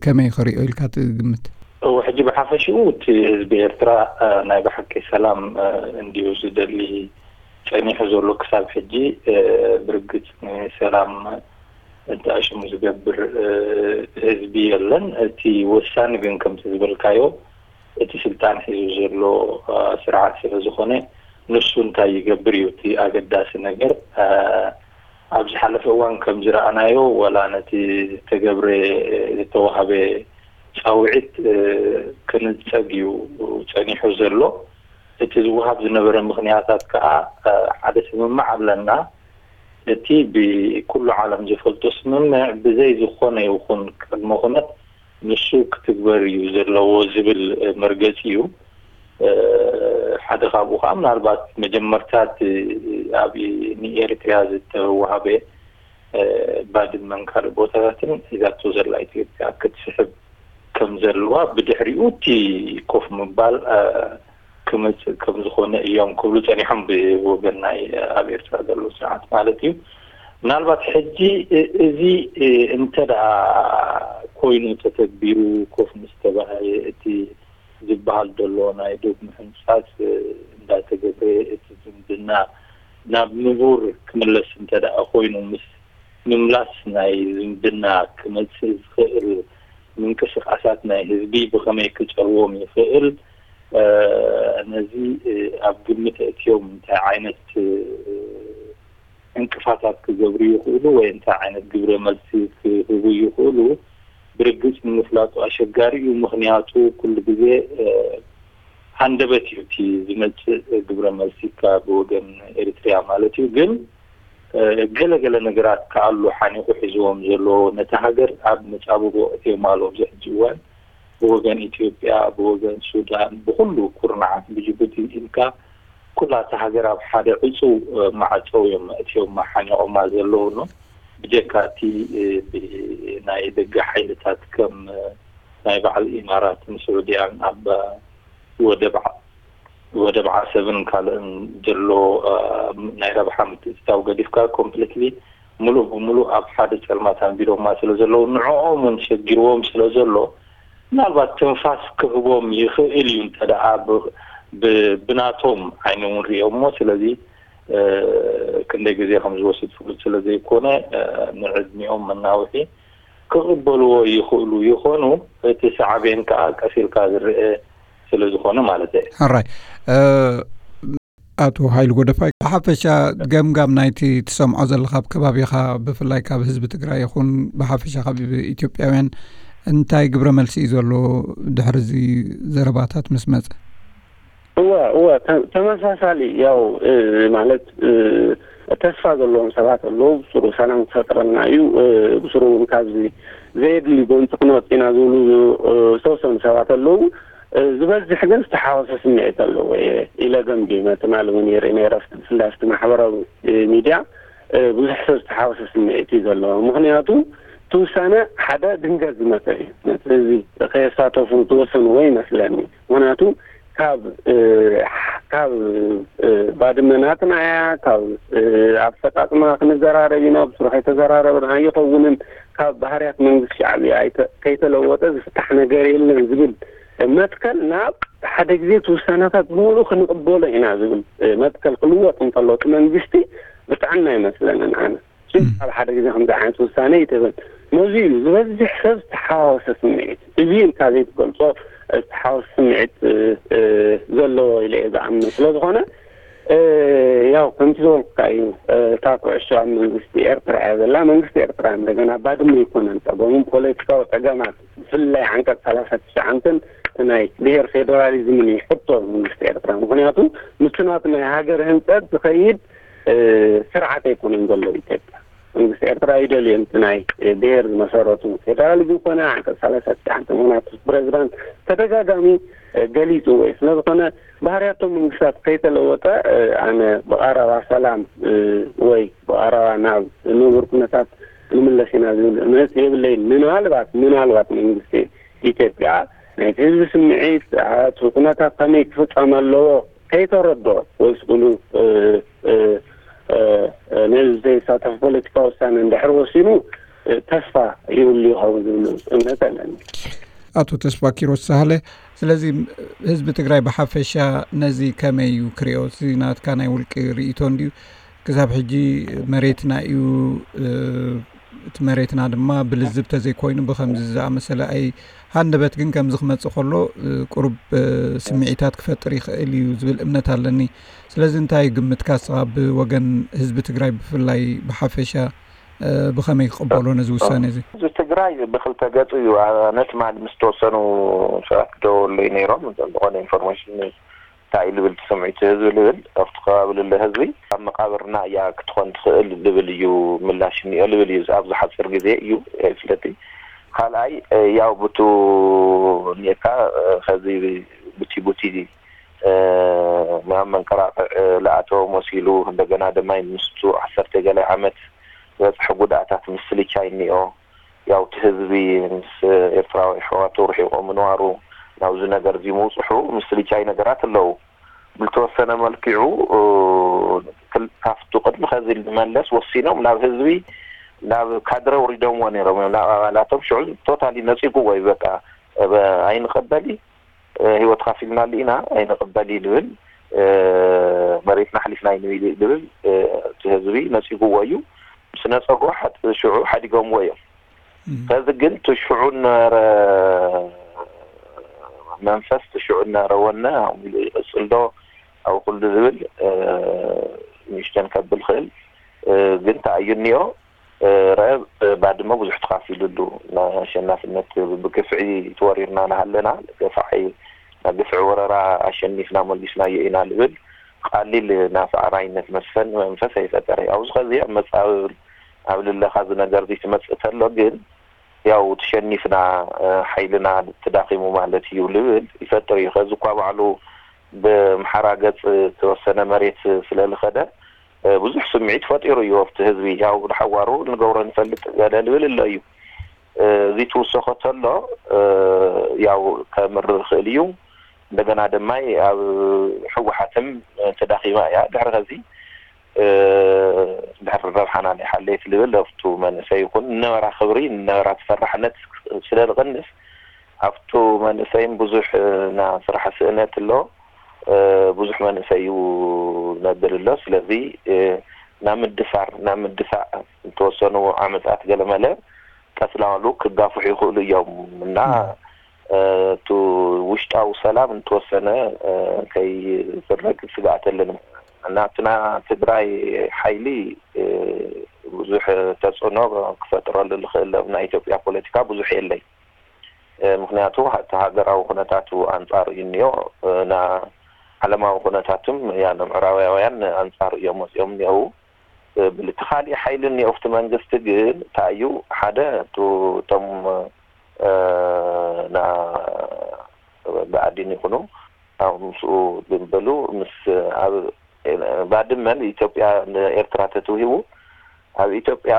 ከመይ ክሪኦ ኢልካ ትግምት? እወ፣ ሕጂ ብሓፈሽኡ እቲ ህዝቢ ኤርትራ ናይ ብሓቂ ሰላም እንድዩ ዝደሊ ጸኒሑ ዘሎ ክሳብ ሕጂ። ብርግጽ ንሰላም እንተኣሽሙ ዝገብር ህዝቢ የለን። እቲ ወሳኒ ግን ከምቲ ዝበልካዮ እቲ ስልጣን ሒዙ ዘሎ ስርዓት ስለ ዝኾነ ንሱ እንታይ ይገብር እዩ እቲ ኣገዳሲ ነገር። ኣብ ዝሓለፈ እዋን ከም ዝረኣናዮ ዋላ ነቲ ዝተገብረ ዝተዋህበ ጻውዒት ክንጸግ እዩ ጸኒሑ ዘሎ። እቲ ዝወሃብ ዝነበረ ምኽንያታት ከኣ ሓደ ስምምዕ ኣለና። እቲ ብኩሉ ዓለም ዝፈልጦ ስምምዕ ብዘይ ዝኾነ ይኹን ቅድመ ኩነት ንሱ ክትግበር እዩ ዘለዎ ዝብል መርገጺ እዩ። ሓደ ካብኡ ከዓ ምናልባት መጀመርታ እቲ ኣብ ንኤርትርያ ዝተዋሃበ ባድመን ካልእ ቦታታትን ሒዛቶ ዘላ ኢትዮጵያ ክትስሕብ ከም ዘለዋ ብድሕሪኡ እቲ ኮፍ ምባል ክመፅእ ከም ዝኾነ እዮም ክብሉ ፀኒሖም ብወገን ናይ ኣብ ኤርትራ ዘሎ ስርዓት ማለት እዩ። ምናልባት ሕጂ እዚ እንተ ደኣ ኮይኑ ተተግቢሩ ኮፍ ምስ ተባሃየ እቲ ዝበሃል ዘሎ ናይ ዶብ ምሕንፃፅ እንዳተገብረ እቲ ዝምድና ናብ ንቡር ክምለስ እንተ ደኣ ኮይኑ ምስ ምምላስ ናይ ዝምድና ክመፅእ ዝኽእል ምንቅስቃሳት ናይ ህዝቢ ብኸመይ ክፀልዎም ይኽእል ነዚ ኣብ ግምት ኣእትዮም እንታይ ዓይነት ዕንቅፋታት ክገብሩ ይኽእሉ ወይ እንታይ ዓይነት ግብረ መልሲ ክህቡ ይኽእሉ ብርግፅ ንምፍላጡ ኣሸጋሪ እዩ። ምኽንያቱ ኩሉ ግዜ ሃንደበት እዩ እቲ ዝመፅእ ግብረ መልሲ ካብ ወገን ኤሪትሪያ ማለት እዩ። ግን ገለገለ ነገራት ከኣሉ ሓኒቑ ሒዝዎም ዘሎ ነቲ ሃገር ኣብ መፃብቦ ኣእትዮም ኣለዉ ኣብዚ ሕጂ እዋን ብወገን ኢትዮጵያ ብወገን ሱዳን ብኩሉ ኩርናዓት ብጅቡቲ ኢልካ ኩላ እታ ሃገር ኣብ ሓደ ዕፁው ማዕፀው እዮም ኣእትዮም ሓኒቖማ ዘለዉ። ብጀካ እቲ እ፣ ብ- ናይ ደገ ሓይልታት ከም እ፣ ናይ በዓል ኢማራትን ስዑድያን ኣብ እ፣ ወደብ ዓ- ወደብ ዓሰብን ካልእን ዘሎ እ፣ ናይ ረብሓ ምትእትታው ገዲፍካ ኮምፕሊትሊ ምሉእ ብምሉእ ኣብ ሓደ ጸልማት ኣንቢሮማ ስለ ዘለዉ ንዕኦም እውን ሸጊርዎም ስለ ዘሎ ምናልባት ትንፋስ ክህቦም ይኽእል እዩ እንተ ደኣ ብ- ብ- ብናቶም ዓይኒ እውን ሪኦሞ ስለዚ እ፣ ክንደይ ግዜ ከም ዝወስድ ፍሉጥ ስለ ዘይኮነ እ፣ ንዕድሚኦም መናውሒ ክቕበልዎ ይኽእሉ ይኾኑ። እቲ ሳዕቤን ከኣ ቀስ ኢልካ ዝረአ ስለ ዝኾነ ማለት እየ። ሕራይ ኣቶ ሃይሉ ጎደፋይ፣ ብሓፈሻ ገምጋም ናይቲ ትሰምዖ ዘለኻ ኣብ ከባቢኻ፣ ብፍላይ ካብ ህዝቢ ትግራይ ይኹን ብሓፈሻ ካብ ኢትዮጵያውያን እንታይ ግብረ መልሲ እዩ ዘሎ ድሕሪ እዚ ዘረባታት ምስ መፀ? እወ እወ ተመሳሳሊ ያው ማለት ተስፋ ዘለዎም ሰባት ኣለዉ። ብስሩ ሰላም ክፈጥረልና እዩ፣ ብስሩ እውን ካብዚ ዘየድሊ ጎንፂ ክንወፅ ኢና ዝብሉ ዝተወሰኑ ሰባት ኣለዉ። ዝበዝሕ ግን ዝተሓወሰ ስምዒት ኣለዎ ኢለ ገምጊመ። ትማሊ እውን ይርኢ ነይረ፣ ብፍላይ ኣብቲ ማሕበራዊ ሚድያ ብዙሕ ሰብ ዝተሓወሰ ስምዒት እዩ ዘለዎ። ምክንያቱ እቲ ውሳነ ሓደ ድንገት ዝመፀ እዩ። ነቲ ህዝቢ ከየሳተፉ ዝተወሰኑ ወይ ይመስለኒ። ምክንያቱ ካብ ካብ ባድመ ናትና እያ፣ ካብ ኣፈፃፅማ ክንዘራረብ ኢና፣ ብስሩ ከይተዘራረብና ኣይኸውንን፣ ካብ ባህርያት መንግስቲ ሻዕብያ ከይተለወጠ ዝፍታሕ ነገር የለን ዝብል መትከል ናብ ሓደ ግዜ እቲ ውሳነታት ብምሉእ ክንቕበሎ ኢና ዝብል መትከል ክልወጥ እንከሎ እቲ መንግስቲ ብጥዕና ኣይመስለንን ኣነ። ኣብ ሓደ ግዜ ከምዚ ዓይነት ውሳነ ይትብል። ነዚ እዩ ዝበዝሕ ሰብ ዝተሓዋወሰ ስምዒት። እዚ ኢልካ ዘይትገልፆ ዝተሓወሰ ስምዒት ዘለዎ ኢለ እየ ዝኣምን። ስለ ዝኾነ ያው ከምቲ ዝበልኩካ እዩ፣ እታ ኩዕሾ ኣብ መንግስቲ ኤርትራ እያ ዘላ። መንግስቲ ኤርትራ እንደገና ባድመ ኣይኮነን ፀገሙ፣ ፖለቲካዊ ፀገማት ብፍላይ ዓንቀፅ ሰላሳ ትሽዓንተን ናይ ብሄር ፌደራሊዝምን እዩ ሕቶ መንግስቲ ኤርትራ። ምክንያቱ ምስቲ ናቱ ናይ ሃገር ህንፀት ዝኸይድ ስርዓት ኣይኮነን ዘሎ ኢትዮጵያ። መንግስቲ ኤርትራ ይደልዮ እቲ ናይ ብሄር ዝመሰረቱ ፌደራሊዝም ኮነ ዓንቀፅ ሰላሳ ትሽዓንተ ምክንያቱ ፕሬዚዳንት ተደጋጋሚ ገሊፅዎ እዩ። ስለዝኾነ ባህርያቶም መንግስታት ከይተለወጠ ኣነ ብቐረባ ሰላም ወይ ብቐረባ ናብ ንቡር ኩነታት ንምለስ ኢና ዝብል እምነት የብለይን። ምናልባት ምናልባት መንግስቲ ኢትዮጵያ ናይቲ ህዝቢ ስምዒት እቲ ኩነታት ከመይ ክፍፀም ኣለዎ ከይተረድኦ ወይ ስእሉ ነዚ ዘይሳተፍ ፖለቲካዊ ውሳነ እንድሕር ወሲኑ ተስፋ ይብሉ ይኸውን ዝብል እምነት ኣለኒ። ኣቶ ተስፋ ኪሮስ ሳህለ፣ ስለዚ ህዝቢ ትግራይ ብሓፈሻ ነዚ ከመይ እዩ ክሪኦ? እዚ ናትካ ናይ ውልቂ ርእይቶ እንድዩ። ክሳብ ሕጂ መሬትና እዩ፣ እቲ መሬትና ድማ ብልዝብ ተዘይኮይኑ ብከምዚ ዝኣመሰለ ኣይ ሃንደበት ግን ከምዚ ክመፅእ ከሎ ቁሩብ ስምዒታት ክፈጥር ይኽእል እዩ ዝብል እምነት ኣለኒ። ስለዚ እንታይ ግምትካ እስኻ ብወገን ህዝቢ ትግራይ ብፍላይ ብሓፈሻ ብኸመይ ክቕበሎ ነዚ ውሳነ እዚ? ህዝቢ ትግራይ ብክልተ ገፁ እዩ። ኣነ ትማሊ ምስ ተወሰኑ ሰባት ክደወሉለይ ነይሮም ዝኾነ ኢንፎርሜሽን እንታይ እዩ ልብል ትስምዒት ህዝቢ ልብል ኣብቲ ከባቢ ልለ ህዝቢ ኣብ መቃብርና እያ ክትኾን ትኽእል ልብል እዩ ምላሽ እኒኦ ልብል እዩ ኣብዚ ሓፂር ግዜ እዩ ፍለጢ ካልኣይ ያው ብቱ እኒኤካ ከዚ ቡቲ ቡቲ ናብ መንቀራቕዕ ልኣተዎ መሲሉ እንደገና ድማ ምስቱ ዓሰርተ ገላይ ዓመት ዝበፅሐ ጉዳእታት ምስልቻ እኒኦ ያው እቲ ህዝቢ ምስ ኤርትራዊ ኣሕዋቱ ርሒቑ ምንባሩ ናብዚ ነገር እዚ ምውፅሑ ምስልቻይ ነገራት ኣለዉ። ብልተወሰነ መልክዑ ካብቱ ቅድሚ ከዚ ንመለስ ወሲኖም ናብ ህዝቢ ናብ ካድረ ውሪዶምዎ ነይሮም እዮም ናብ ኣባላቶም ሽዑ ቶታሊ ነፂጉዎ እዩ በቃ ኣይንቐበል ህይወት ካፊልናሉ ኢና ኣይንቐበል እዩ ዝብል መሬትና ኣሕሊፍና ኣይንህብ ዝብል እቲ ህዝቢ ነፂጉዎ እዩ ምስ ነፀጎ ሽዑ ሓዲጎምዎ እዮም ከዚ ግን እቲ ሽዑ ነበረ መንፈስ እቲ ሽዑ ነበረ ወነ ኣሚሉ ይቕፅል ዶ ኣብ ኩሉ ዝብል ንእሽተን ከብል ክእል ግን ተኣዩ እኒኦ ረአ ባድመ ብዙሕ ተኻፊሉሉ ናይ ኣሸናፍነት ብግፍዒ ተወሪርና ናሃለና ገፋዒ ናይ ግፍዒ ወረራ ኣሸኒፍና መሊስናዮ ኢና ልብል ቃሊል ናፍዓራይነት መስፈን መንፈስ ኣይፈጠረ ኣብዚ ኸዚ ኣብ መፃብብል ኣብ ልለኻ እዚ ነገር እዚ ትመፅእ ተሎ ግን ያው ተሸኒፍና ሓይልና ተዳኺሙ ማለት እዩ ልብል ይፈጥር እዩ ከዚ እኳ ባዕሉ ብምሓራ ገፅ ተወሰነ መሬት ስለልኸደ ብዙሕ ስምዒት ፈጢሩ እዩ ኣብቲ ህዝቢ። ያው ንሓዋሩ ንገብሮ ንፈልጥ ገለ ልብል ኣሎ እዩ። እዚ ትውሰኾ ተሎ ያው ከምር ይኽእል እዩ። እንደገና ድማ ኣብ ህወሓትም ተዳኺማ እያ። ድሕሪ ከዚ ድሕሪ ረብሓና ናይ ሓለየት ልብል ኣብቱ መንእሰይ ይኹን ንነበራ ክብሪ ንነበራ ተፈራሕነት ስለ ዝቕንስ ኣብቱ መንእሰይም ብዙሕ ና ስራሕ ስእነት ኣሎ። ብዙሕ መንእሰይ እዩ ነብል ኣሎ። ስለዚ ናብ ምድፋር ናብ ምድፋዕ ዝተወሰኑ ዓመፃት ገለመለ ቀስላሉ ክጋፍሑ ይኽእሉ እዮም እና እቲ ውሽጣዊ ሰላም እንተወሰነ ከይፍረግ ስግኣት ኣለኒ። ናትና ትግራይ ሓይሊ ብዙሕ ተፅዕኖ ክፈጥረሉ ዝኽእል ኣብ ናይ ኢትዮጵያ ፖለቲካ ብዙሕ የለይ። ምክንያቱ እቲ ሃገራዊ ኩነታቱ ኣንፃር እዩ እኒኦ። ና ዓለማዊ ኩነታትም ያ ምዕራባውያን ኣንፃር እዮም መፅኦም እኒአው። ብልቲ ካሊእ ሓይሊ እኒኦ ኣብቲ መንግስቲ ግን እንታይ እዩ ሓደ እቶም ና ብኣዲን ይኹኑ ኣብ ምስኡ ዝበሉ ምስ ኣብ ባድመ ንኢትዮጵያ ንኤርትራ ተትውሂቡ ኣብ ኢትዮጵያ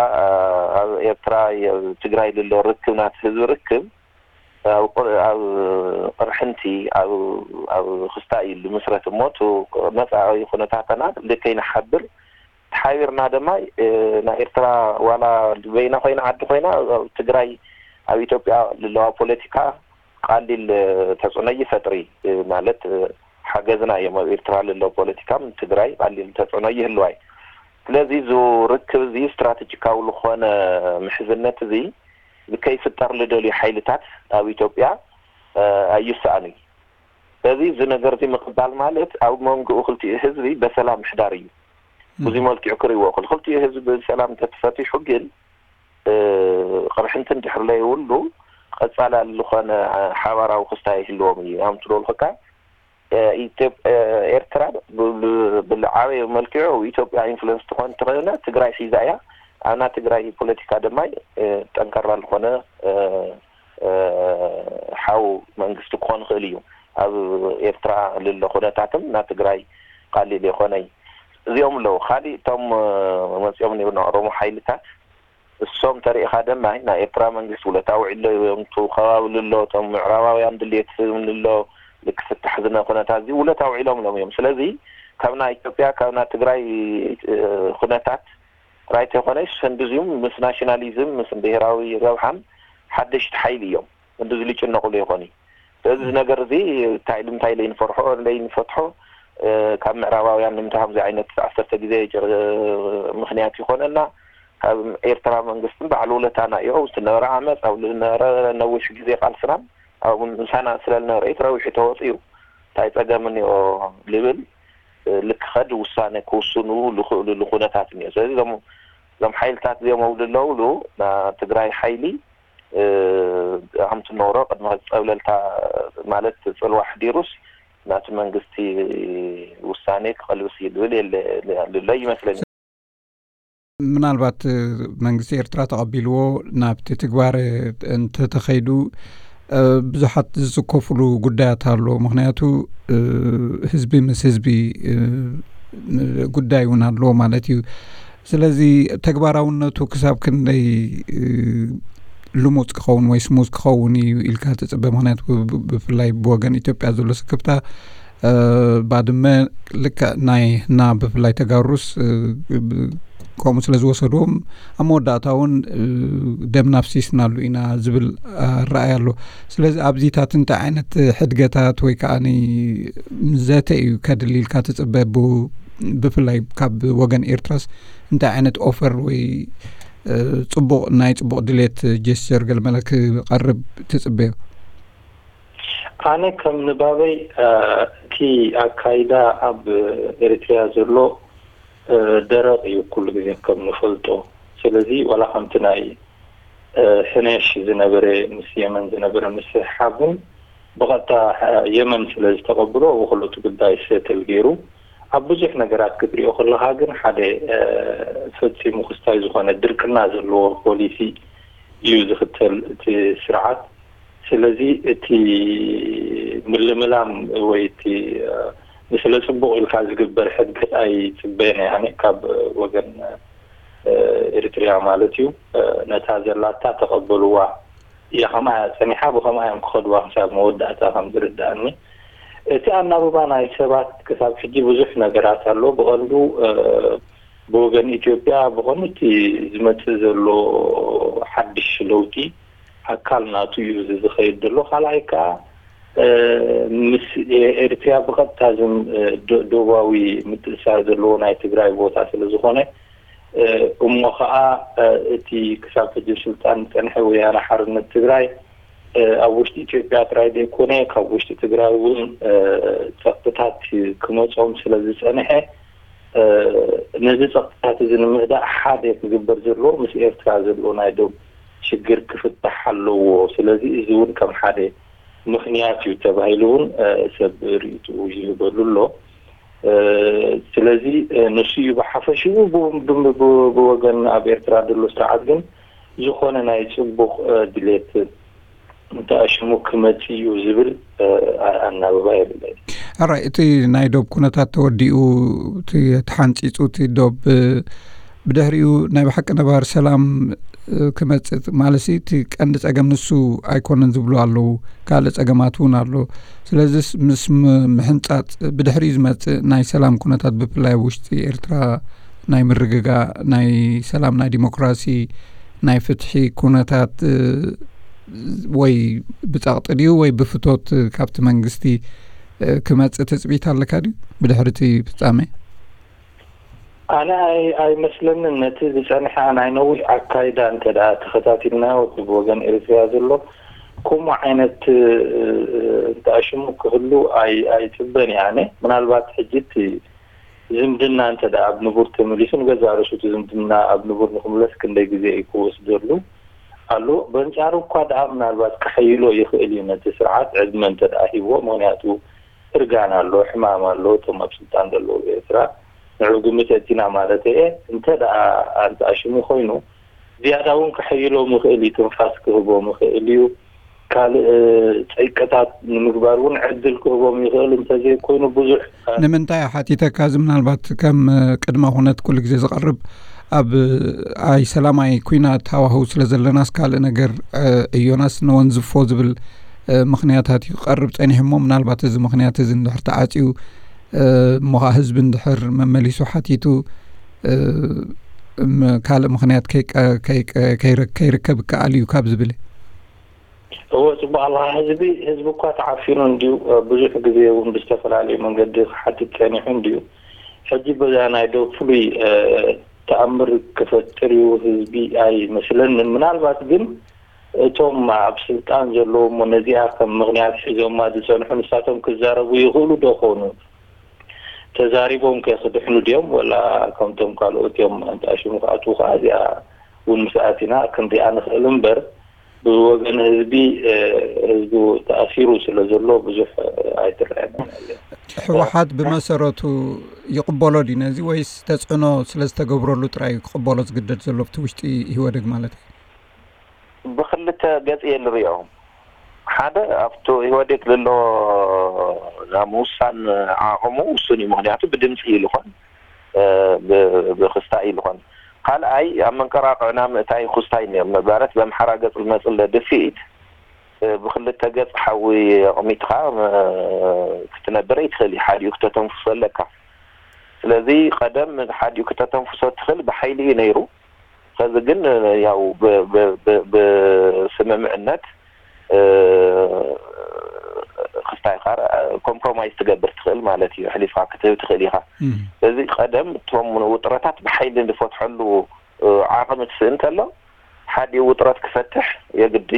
ኣብ ኤርትራ ትግራይ ልሎ ርክብ ናት ህዝቢ ርክብ ኣብ ቅርሕንቲ ኣብ ክስታይ ልምስረት እሞ መፃኢ ኩነታተና ልከይንሓብር ተሓቢርና ድማ ናይ ኤርትራ ዋላ በይና ኮይና ዓዲ ኮይና ትግራይ ኣብ ኢትዮጵያ ልለዋ ፖለቲካ ቃሊል ተፅዕኖ ይፈጥሪ ማለት ሓገዝና እዮም ኣብ ኤርትራ ልለው ፖለቲካ ትግራይ ቃሊል ተፅዕኖ ይህልዋይ። ስለዚ እዚ ርክብ እዚ ስትራቴጂካዊ ዝኾነ ምሕዝነት እዚ ዝከይፍጠር ልደልዩ ሓይልታት ኣብ ኢትዮጵያ ኣይሰኣኑ እዩ። ስለዚ እዚ ነገር እዚ ምቕባል ማለት ኣብ መንጎኡ ክልቲኡ ህዝቢ በሰላም ምሕዳር እዩ። ብዙ መልክዑ ክርእዎ ክል ክልቲኡ ህዝቢ ብሰላም ተተፈቲሑ ግን ቅርሕንቲ እንድሕር ለይብሉ ቀፃላሊ ዝኾነ ሓባራዊ ክስታይ ይህልዎም እዩ። ኣምቲ ዶልክካ ኤርትራ ብዓበየ መልክዑ ኢትዮጵያ ኢንፍሉንስ ትኾን ትኽእለ ትግራይ ሒዛ እያ። ኣብና ትግራይ ፖለቲካ ድማ ጠንካራ ዝኾነ ሓው መንግስቲ ክኾን ይኽእል እዩ። ኣብ ኤርትራ ልሎ ኩነታትም ና ትግራይ ቃሊል የኾነይ እዚኦም ኣለዉ። ካሊእ እቶም መፂኦም ነይሩ ኦሮሞ ሓይልታት እሶም ተሪእኻ ድማ ናይ ኤርትራ መንግስቲ ውለታ ውዒሎ እዮም። እቲ ከባቢ ልሎ እቶም ምዕራባውያን ድልየት ስም ልሎ ልክፍታሕ ዝነ ኩነታት እዚ ውለታ ውዒሎም ሎም እዮም። ስለዚ ካብ ናይ ኢትዮጵያ ካብ ናይ ትግራይ ኩነታት ጥራይ ተይኮነስ ህንድዚም ምስ ናሽናሊዝም ምስ ብሄራዊ ረብሓን ሓደሽቲ ሓይሊ እዮም። ህንድዚ ልጭነቁሉ ይኾን እዩ። ስለዚ እዚ ነገር እዚ እንታይ ኢሉ እንታይ ለይንፈርሖ ለይንፈትሖ ካብ ምዕራባውያን ንምንታይ ከምዚ ዓይነት ዓሰርተ ግዜ ምክንያት ይኾነና። ካብ ኤርትራ መንግስትን ባዕሉ ውለታና እዩ ዝነበረ ዓመፅ ኣብ ዝነበረ ነዊሕ ግዜ ቃልስናን ኣብ ምሳና ስለ ዝነበረ እዩ ተረዊሑ ተወፅኡ። እንታይ ፀገም እኒኦ ልብል ልክኸድ ውሳነ ክውስኑ ልኽእሉሉ ኩነታት እኒኦ። ስለዚ እዞም ሓይልታት እዚኦም ኣብሉ ኣለውሉ ትግራይ ሓይሊ ከምቲ ንሮ ቅድሚ ጸብለልታ ማለት ጽልዋ ሕዲሩስ ናቲ መንግስቲ ውሳኔ ክቐልብስ እዩ ዝብል የለ ልሎ ይመስለኒ። ምናልባት መንግስቲ ኤርትራ ተቐቢልዎ ናብቲ ትግባር እንተተኸይዱ ብዙሓት ዝጽከፍሉ ጉዳያት ኣሎ። ምክንያቱ ህዝቢ ምስ ህዝቢ ጉዳይ እውን ኣለዎ ማለት እዩ። ስለዚ ተግባራውነቱ ክሳብ ክንደይ ልሙፅ ክኸውን ወይ ስሙዝ ክኸውን እዩ ኢልካ ትፅበ? ምክንያቱ ብፍላይ ብወገን ኢትዮጵያ ዘሎ ስክፍታ ባድመ ልክዕ ናይ ና ብፍላይ ተጋሩስ ከምኡ ስለ ዝወሰድዎም ኣብ መወዳእታ እውን ደም ናፍሲስናሉ ኢና ዝብል ኣረኣያ ኣሎ። ስለዚ ኣብዚታት እንታይ ዓይነት ሕድገታት ወይ ከዓ ዘተ እዩ ከድሊ ኢልካ ትፅበ? ብፍላይ ካብ ወገን ኤርትራስ እንታይ ዓይነት ኦፈር ወይ ፅቡቕ ናይ ፅቡቕ ድሌት ጀስቸር ገለመለ ክቐርብ ትፅበዮ? ኣነ ከም ንባበይ እቲ ኣካይዳ ኣብ ኤሪትሪያ ዘሎ ደረቕ እዩ ኩሉ ግዜ ከም ንፈልጦ። ስለዚ ዋላ ከምቲ ናይ ሕነሽ ዝነበረ ምስ የመን ዝነበረ ምስሕሓብ እውን ብቐጥታ የመን ስለ ዝተቐብሎ ብክልቱ ጉዳይ ሰትል ገይሩ ኣብ ብዙሕ ነገራት ክትሪኦ ከለካ ግን ሓደ ፈፂሙ ክስታይ ዝኾነ ድርቅና ዘለዎ ፖሊሲ እዩ ዝኽተል እቲ ስርዓት። ስለዚ እቲ ምልምላም ወይ እቲ ንስለ ጽቡቕ ኢልካ ዝግበር ሕድገት ኣይጽበየን እየ፣ ኣነ ካብ ወገን ኤሪትሪያ ማለት እዩ። ነታ ዘላታ ተቐበልዋ እያ፣ ከምኣ እያ ጸኒሓ፣ ብኸምኣ እዮም ክኸድዋ ክሳብ መወዳእታ ከም ዝርድኣኒ። እቲ ኣናብባ ናይ ሰባት ክሳብ ሕጂ ብዙሕ ነገራት ኣሎ። ብቐንዱ ብወገን ኢትዮጵያ ብቐንዱ እቲ ዝመጽእ ዘሎ ሓድሽ ለውጢ ኣካል ናቱ እዩ እዚ ዝኸይድ ዘሎ። ካልኣይ ከኣ ምስ ኤሪትሪያ ብቐጥታ ዝም ደቡባዊ ምትእሳር ዘለዎ ናይ ትግራይ ቦታ ስለ ዝኾነ፣ እሞ ኸኣ እቲ ክሳብ ሕጂ ስልጣን ዝጸንሐ ወያነ ሓርነት ትግራይ ኣብ ውሽጢ ኢትዮጵያ ጥራይ ዘይኮነ፣ ካብ ውሽጢ ትግራይ እውን ጸቕጥታት ክመጾም ስለ ዝጸንሐ፣ ነዚ ጸቕጥታት እዚ ንምህዳእ ሓደ ክግበር ዘለዎ ምስ ኤርትራ ዘሎ ናይ ዶብ ሽግር ክፍታሕ ኣለዎ። ስለዚ እዚ እውን ከም ሓደ ምኽንያት እዩ ተባሂሉ እውን ሰብ ርእይትኡ ይህበሉ ኣሎ። ስለዚ ንሱ እዩ ብሓፈሽኡ። ብወገን ኣብ ኤርትራ ዘሎ ስርዓት ግን ዝኾነ ናይ ጽቡቕ ድሌት እንተኣሽሙ ክመጽእ እዩ ዝብል ኣናብባ የብለይ። ኣራይ እቲ ናይ ዶብ ኩነታት ተወዲኡ፣ እቲ ተሓንጺጹ፣ እቲ ዶብ ብድሕሪኡ ናይ ብሓቂ ነባሪ ሰላም ክመጽእ ማለት እቲ ቀንዲ ጸገም ንሱ ኣይኮነን ዝብሉ ኣለዉ። ካልእ ጸገማት እውን ኣሎ። ስለዚስ ምስ ምሕንጻጽ ብድሕሪኡ ዝመጽእ ናይ ሰላም ኩነታት ብፍላይ ኣብ ውሽጢ ኤርትራ ናይ ምርግጋእ፣ ናይ ሰላም፣ ናይ ዲሞክራሲ፣ ናይ ፍትሒ ኩነታት ወይ ብጸቕጢ ድዩ ወይ ብፍቶት ካብቲ መንግስቲ ክመጽእ ትጽቢት ኣለካ ድዩ ብድሕሪ እቲ ፍጻሜ? ኣነ ኣይመስለንን። ነቲ ዝጸንሐ ናይ ነዊሕ ኣካይዳ እንተ ደኣ ተኸታቲልናዮ፣ እቲ ብወገን ኤርትርያ ዘሎ ከምኡ ዓይነት እንተኣሽሙ ክህሉ ኣይጽበን እየ። ኣነ ምናልባት ሕጂ እቲ ዝምድና እንተ ደኣ ኣብ ንቡር ተመሊሱ፣ ንገዛእ ርእሱ እቲ ዝምድና ኣብ ንቡር ንክምለስ ክንደይ ግዜ እዩ ክወስደሉ ኣሎ። በንጻሩ እኳ ደኣ ምናልባት ክሕይሎ ይኽእል እዩ ነቲ ስርዓት ዕድመ እንተ ደኣ ሂብዎ። ምኽንያቱ እርጋን ኣሎ፣ ሕማም ኣሎ። እቶም ኣብ ስልጣን ዘለዉ ኤርትራ ንዑ ግምት ኣእቲና ማለት እየ። እንተ ደኣ ኣንተኣሽሙ ኮይኑ ዝያዳ እውን ክሕይሎም ይኽእል እዩ፣ ትንፋስ ክህቦም ይኽእል እዩ። ካልእ ጸይቅታት ንምግባር እውን ዕድል ክህቦም ይኽእል። እንተዘይኮይኑ ብዙሕ ንምንታይ ሓቲተካ፣ እዚ ምናልባት ከም ቅድመ ኩነት ኩሉ ግዜ ዝቐርብ ኣብ ኣይ ሰላማይ ኩናት ሃዋህው ስለ ዘለናስ ካልእ ነገር እዮናስ ነወንዝፎ ዝብል ምኽንያታት እዩ ክቐርብ ጸኒሑ እሞ ምናልባት እዚ ምኽንያት እዚ እንድሕር ተዓጽዩ እሞ ኸዓ ህዝቢ እንድሕር መመሊሱ ሓቲቱ ካልእ ምኽንያት ከይርከብ ይከኣል እዩ ካብ ዝብል። እወ፣ ጽቡቕ ኣለኻ። ህዝቢ ህዝቢ እኳ ተዓፊኑ እንድዩ። ብዙሕ ግዜ እውን ብዝተፈላለዩ መንገዲ ክሓትት ጸኒሑ እንድዩ። ሕጂ በዛ ናይ ዶብ ፍሉይ ተኣምር ክፈጥር እዩ ህዝቢ ኣይመስለንን። ምናልባት ግን እቶም ኣብ ስልጣን ዘለዉ እሞ ነዚኣ ከም ምኽንያት ሒዞማ ዝጸንሑ ንሳቶም ክዛረቡ ይኽእሉ ዶ ኾኑ? ተዛሪቦም ከ ክድሕኑ ድዮም ወላ ከምቶም ካልኦት እዮም ኣንጣሽሙ ክኣትዉ ከኣ እዚኣ እውን ምስ ኣቲና ክንሪኣ ንኽእል እምበር ብወገን ህዝቢ ህዝቡ ተኣሲሩ ስለ ዘሎ ብዙሕ ኣይትረኣየንን። ህወሓት ብመሰረቱ ይቕበሎ ድዩ ነዚ ወይስ ተፅዕኖ ስለ ዝተገብረሉ ጥራይ እዩ ክቕበሎ ዝግደድ ዘሎ ኣብቲ ውሽጢ ኢህወደግ ማለት እዩ? ብክልተ ገፅ እየ ንሪኦ። ሓደ ኣብቲ ኢህወዴግ ዘሎ ናይ ምውሳን ዓቕሙ ውሱን እዩ። ምክንያቱ ብድምፂ እዩ ልኾን ብክስታይ እዩ ልኾን። ካልኣይ ኣብ መንቀራቕዕና ምእታይ ክስታይ ነይሩ ማለት በምሓራ ገፅ ዝመፅእ ኣሎ ድፍኢት ብክልተ ገፅ ሓዊ ኣቕሚጥኻ ክትነብር ኣይትኽእል እዩ። ሓዲኡ ክተተንፍሶ ኣለካ። ስለዚ ቀደም ሓዲኡ ክተተንፍሶ ትኽእል ብሓይሊ እዩ ነይሩ። ከዚ ግን ያው ብስምምዕነት ክስታይ ኢኻ ኮምፕሮማይዝ ትገብር ትኽእል ማለት እዩ። ኣሕሊፍካ ክትህብ ትኽእል ኢኻ። ስለዚ ቀደም እቶም ውጥረታት ብሓይሊ ንፈትሐሉ ዓቕሚ ትስእን ከሎ ሓዲኡ ውጥረት ክፈትሕ የግዲ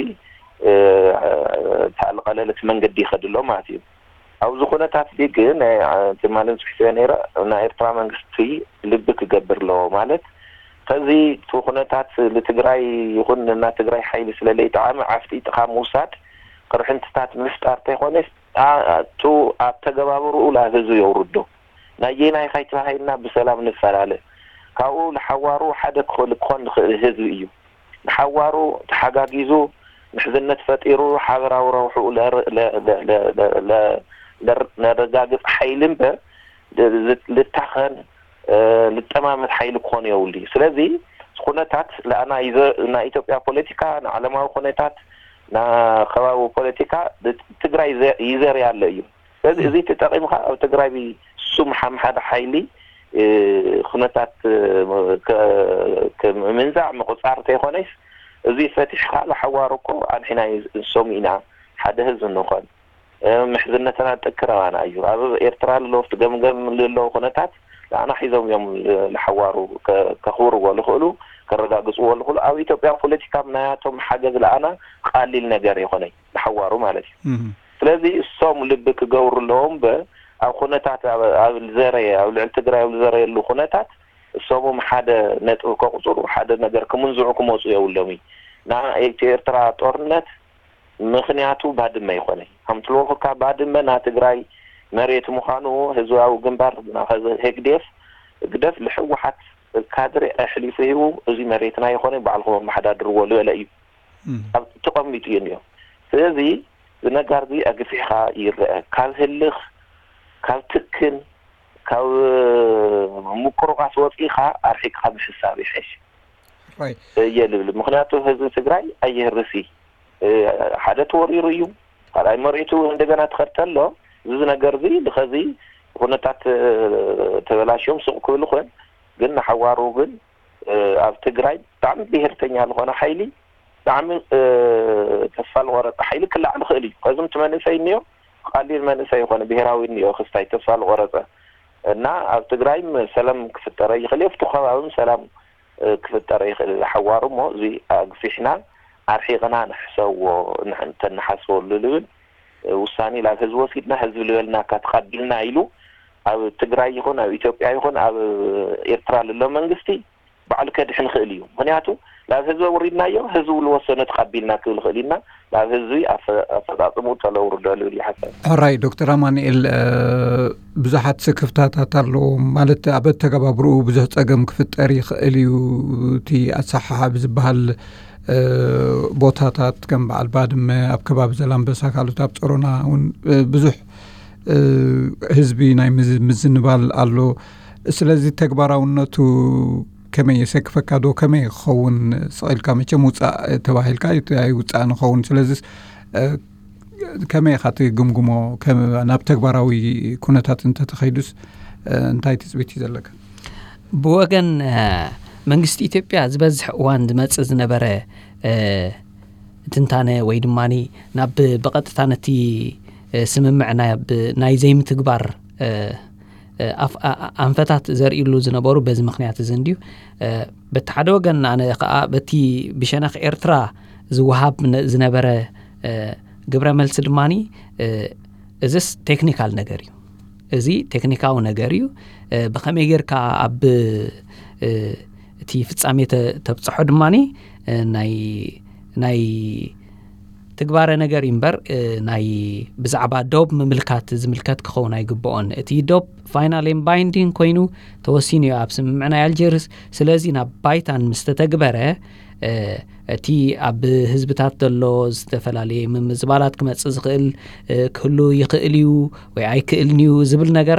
እታ ዝቐለለት መንገዲ ይኸድሎ ማለት እዩ። ኣብዚ ኩነታት እዚ ግን ትማልን ፅሒፈ ነይረ ናይ ኤርትራ መንግስቲ ልቢ ክገብር ኣለዎ ማለት ከዚ እቲ ኩነታት ንትግራይ ይኹን እና ትግራይ ሓይሊ ስለ ለይጠዓመ ዓፍጢጥኻ ምውሳድ ቅርሕንትታት ምፍጣር ተይኮነስ ቱ ኣተገባብርኡ ላብ ህዝቢ የውርዶ ናየናይ ካይተባሂልና ብሰላም ንፈላለ ካብኡ ንሓዋሩ ሓደ ክኾን ንኽእል ህዝቢ እዩ። ንሓዋሩ ተሓጋጊዙ ምሕዝነት ፈጢሩ ሓበራዊ ረብሕኡ ነር- ነረጋግጽ ሓይሊ እምበር ዝ- ልታኸን እ፣ ልጠማመት ሓይሊ ክኾን የብሉ። ስለዚ ኩነታት ለኣና ይዘ- ናይ ኢትዮጵያ ፖለቲካ፣ ንዓለማዊ ኩነታት፣ ንከባቢ ፖለቲካ ትግራይ ይዘ- ይዘርያ ኣሎ እዩ። ስለዚ እዚ ተጠቒምካ ኣብ ትግራይ ስም ሓም ሓደ ሓይሊ እ፣ ኩነታት እ፣ ከ- ከ- ምንዛዕ ምቁጻር ተይኮነስ እዚ ፈቲሕካ ዝሓዋሩ እኮ ኣንሒና ንሶም ኢና ሓደ ህዝቢ ንኾን። ምሕዝነትና ጠክረባና እዩ። ኣብ ኤርትራ ለለዉ ገምገም ለለዉ ኩነታት ንኣና ሒዞም እዮም። ንሓዋሩ ከኽብርዎ ልኽእሉ፣ ከረጋግፅዎ ልኽእሉ፣ ኣብ ኢትዮጵያ ፖለቲካ ናያቶም ሓገዝ ለኣና ቃሊል ነገር ይኾነ ንሓዋሩ ማለት እዩ። ስለዚ እሶም ልቢ ክገብሩ ኣለዎም። በ ኣብ ኩነታት ኣብ ዘረየ ኣብ ልዕሊ ትግራይ ኣብ ዝዘረየሉ ኩነታት እሶም ሓደ ነጥብ ከቁፅሩ ሓደ ነገር ክምንዝዑ ክመፁ የብሎም እዩ። ንኤርትራ ጦርነት ምኽንያቱ ባድመ ይኾነ። ከምትልወኩካ ባድመ ና ትግራይ መሬት ምዃኑ ህዝባዊ ግንባር ህግዴፍ ግደፍ ልሕወሓት ካድሬ ኣሕሊፉ ሂቡ፣ እዚ መሬትና ይኾነ ባዕልኹም ኣመሓዳድርዎ ልበለ እዩ። ኣብ ተቐሚጡ እዩ እኒኦ። ስለዚ ዝነጋር እዚ ኣግፊሕካ ይረአ። ካብ ህልኽ፣ ካብ ትክን፣ ካብ ምቁርቋስ ወፂእካ ኣርሒቅካ ምሕሳብ ይሐሽ እየ ልብል። ምክንያቱ ህዝቢ ትግራይ ኣይህርሲ ሓደ ተወሪሩ እዩ። ካልኣይ መሬቱ እንደገና ትኸድ ተሎ እዚ ነገር እዚ ብኸዚ ኩነታት ተበላሽዮም ስቕ ክብል ይኽእል። ግን ንሓዋሩ ግን ኣብ ትግራይ ብጣዕሚ ብሄርተኛ ዝኾነ ሓይሊ ብጣዕሚ ተስፋ ዝቆረፀ ሓይሊ ክላዓል ይኽእል እዩ። ከዚ እቲ መንእሰይ እኒኦ ቃሊል መንእሰይ ይኾነ ብሄራዊ እኒኦ ክስታይ ተስፋ ዝቆረፀ እና ኣብ ትግራይ ሰላም ክፍጠረ ይኽእል እዩ። ኣብቲ ከባቢ ሰላም ክፍጠረ ይኽእል ሓዋሩ እሞ እዚ ኣግፊሕና ኣርሒቕና ንሕሰዎ ተንሓስበሉ ልብል ውሳኔ ናብ ህዝቢ ወሲድና ህዝቢ ልበልናካ ተቐቢልና ኢሉ ኣብ ትግራይ ይኹን ኣብ ኢትዮጵያ ይኹን ኣብ ኤርትራ ልሎ መንግስቲ ባዕሉ ከድሕን ይኽእል እዩ። ምክንያቱ ናብ ህዝቢ ኣውሪድናዮ ህዝቢ ልወሰኖ ተቐቢልና ክብል ይኽእል ኢና። ናብ ህዝቢ ኣፈፃፅሙ ተለውርዶ ልብል ይሓሰብ። ሕራይ ዶክተር ኣማንኤል ብዙሓት ስክፍታታት ኣለዎ ማለት ኣብ ኣተገባብርኡ ብዙሕ ፀገም ክፍጠር ይኽእል እዩ። እቲ ኣሰሓሓቢ ዝበሃል ቦታታት ከም በዓል ባድመ ኣብ ከባቢ ዘላንበሳ ካልኦት ኣብ ፀሮና እውን ብዙሕ ህዝቢ ናይ ምዝንባል ኣሎ። ስለዚ ተግባራውነቱ ከመይ የሰክፈካ ዶ ከመይ ክኸውን ስቕ ኢልካ መቸም ውፃእ ተባሂልካ ኣይውፃእ ንኸውን። ስለዚ ከመይ ኢኻ ትግምግሞ? ናብ ተግባራዊ ኩነታት እንተተኸይዱስ እንታይ ትፅቢት እዩ ዘለካ? ብወገን መንግስቲ ኢትዮጵያ ዝበዝሕ እዋን ዝመፅእ ዝነበረ ትንታነ ወይ ድማ ናብ ብቐጥታ ነቲ ስምምዕ ናይ ዘይምትግባር ኣንፈታት ዘርእሉ ዝነበሩ በዚ ምክንያት እዚ እንድዩ። በቲ ሓደ ወገን ኣነ ከዓ በቲ ብሸነኽ ኤርትራ ዝወሃብ ዝነበረ ግብረ መልሲ ድማ እዚስ ቴክኒካል ነገር እዩ። እዚ ቴክኒካዊ ነገር እዩ። ብኸመይ ጌርካ ኣብ እቲ ፍጻሜ ተብፅሖ ድማ ናይ ትግባረ ነገር እዩ እምበር ናይ ብዛዕባ ዶብ ምምልካት ዝምልከት ክኸውን ኣይግብኦን። እቲ ዶብ ፋይናል ኤን ባይንዲንግ ኮይኑ ተወሲኑ እዩ ኣብ ስምምዕ ናይ ኣልጀርስ። ስለዚ ናብ ባይታን ምስ ተተግበረ እቲ ኣብ ህዝብታት ዘሎ ዝተፈላለየ ምምዝባላት ክመፅእ ዝኽእል ክህሉ ይኽእል እዩ ወይ ኣይክእልን እዩ ዝብል ነገር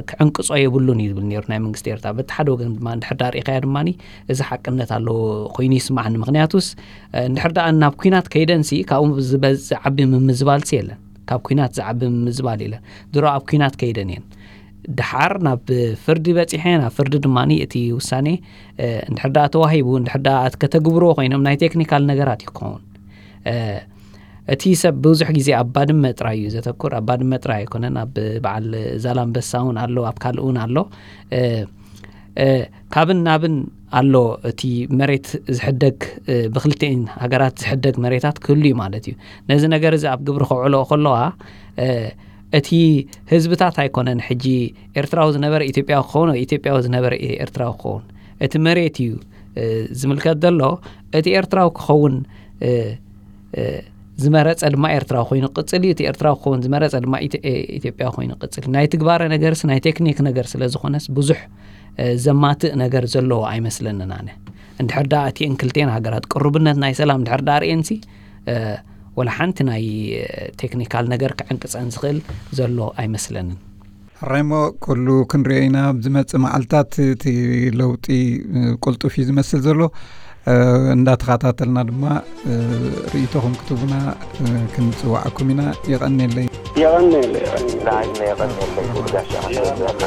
ክዕንቅፆ የብሉን እዩ ዝብል ነይሩ ናይ መንግስቲ ኤርትራ። በቲ ሓደ ወገን ድማ እንድሕር ዳ ርኢኻዮ ድማ እዚ ሓቅነት ኣለዎ ኮይኑ ይስማዓኒ። ምክንያቱስ እንድሕር ደኣ ናብ ኩናት ከይደንሲ ካብኡ ዝዓቢ ምምዝባልሲ የለን። ካብ ኩናት ዝዓቢ ምምዝባል የለን። ድሮ ኣብ ኩናት ከይደን እየን። ድሓር ናብ ፍርዲ በፂሐ ናብ ፍርዲ ድማ እቲ ውሳኔ እንድሕር ደኣ ተዋሂቡ እንድሕር ደኣ ከተግብርዎ ኮይኖም ናይ ቴክኒካል ነገራት እዩ ክኸውን። እቲ ሰብ ብዙሕ ግዜ ኣብ ባድመ ጥራይ እዩ ዘተኩር። ኣብ ባድመ ጥራይ ኣይኮነን፣ ኣብ በዓል ዛላንበሳ እውን ኣሎ፣ ኣብ ካልእ እውን ኣሎ። ካብን ናብን ኣሎ። እቲ መሬት ዝሕደግ ብክልቲኤን ሃገራት ዝሕደግ መሬታት ክህሉ እዩ ማለት እዩ። ነዚ ነገር እዚ ኣብ ግብሪ ከውዕልኦ ከለዋ እቲ ህዝብታት ኣይኮነን ሕጂ ኤርትራዊ ዝነበረ ኢትዮጵያዊ ክኸውን ወይ ኢትዮጵያዊ ዝነበረ ኤርትራዊ ክኸውን፣ እቲ መሬት እዩ ዝምልከት ዘሎ። እቲ ኤርትራዊ ክኸውን ዝመረፀ ድማ ኤርትራዊ ኮይኑ ቅፅል እዩ። እቲ ኤርትራዊ ክኸውን ዝመረፀ ድማ ኢትዮጵያዊ ኮይኑ ቅፅል እዩ። ናይ ትግባረ ነገርስ ናይ ቴክኒክ ነገር ስለዝኾነስ ብዙሕ ዘማትእ ነገር ዘለዎ ኣይመስለንን ኣነ። እንድሕር ደኣ እቲኤን ክልቲኤን ሃገራት ቅሩብነት ናይ ሰላም እንድሕር ደኣ ርእየንሲ ወላ ሓንቲ ናይ ቴክኒካል ነገር ክዕንቅፀን ዝኽእል ዘሎ ኣይመስለንን። ሬሞ፣ ኩሉ ክንሪኦ ኢና። ኣብ ዝመጽእ መዓልታት እቲ ለውጢ ቅልጡፍ እዩ ዝመስል ዘሎ። እንዳተኸታተልና ድማ ርእይቶኹም ክትቡና ክንጽዋዓኩም ኢና። የቐንየለይ። የቐንየለይ። የቐንየለይ።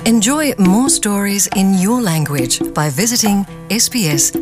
Enjoy more stories in your language by visiting sbs.com.au.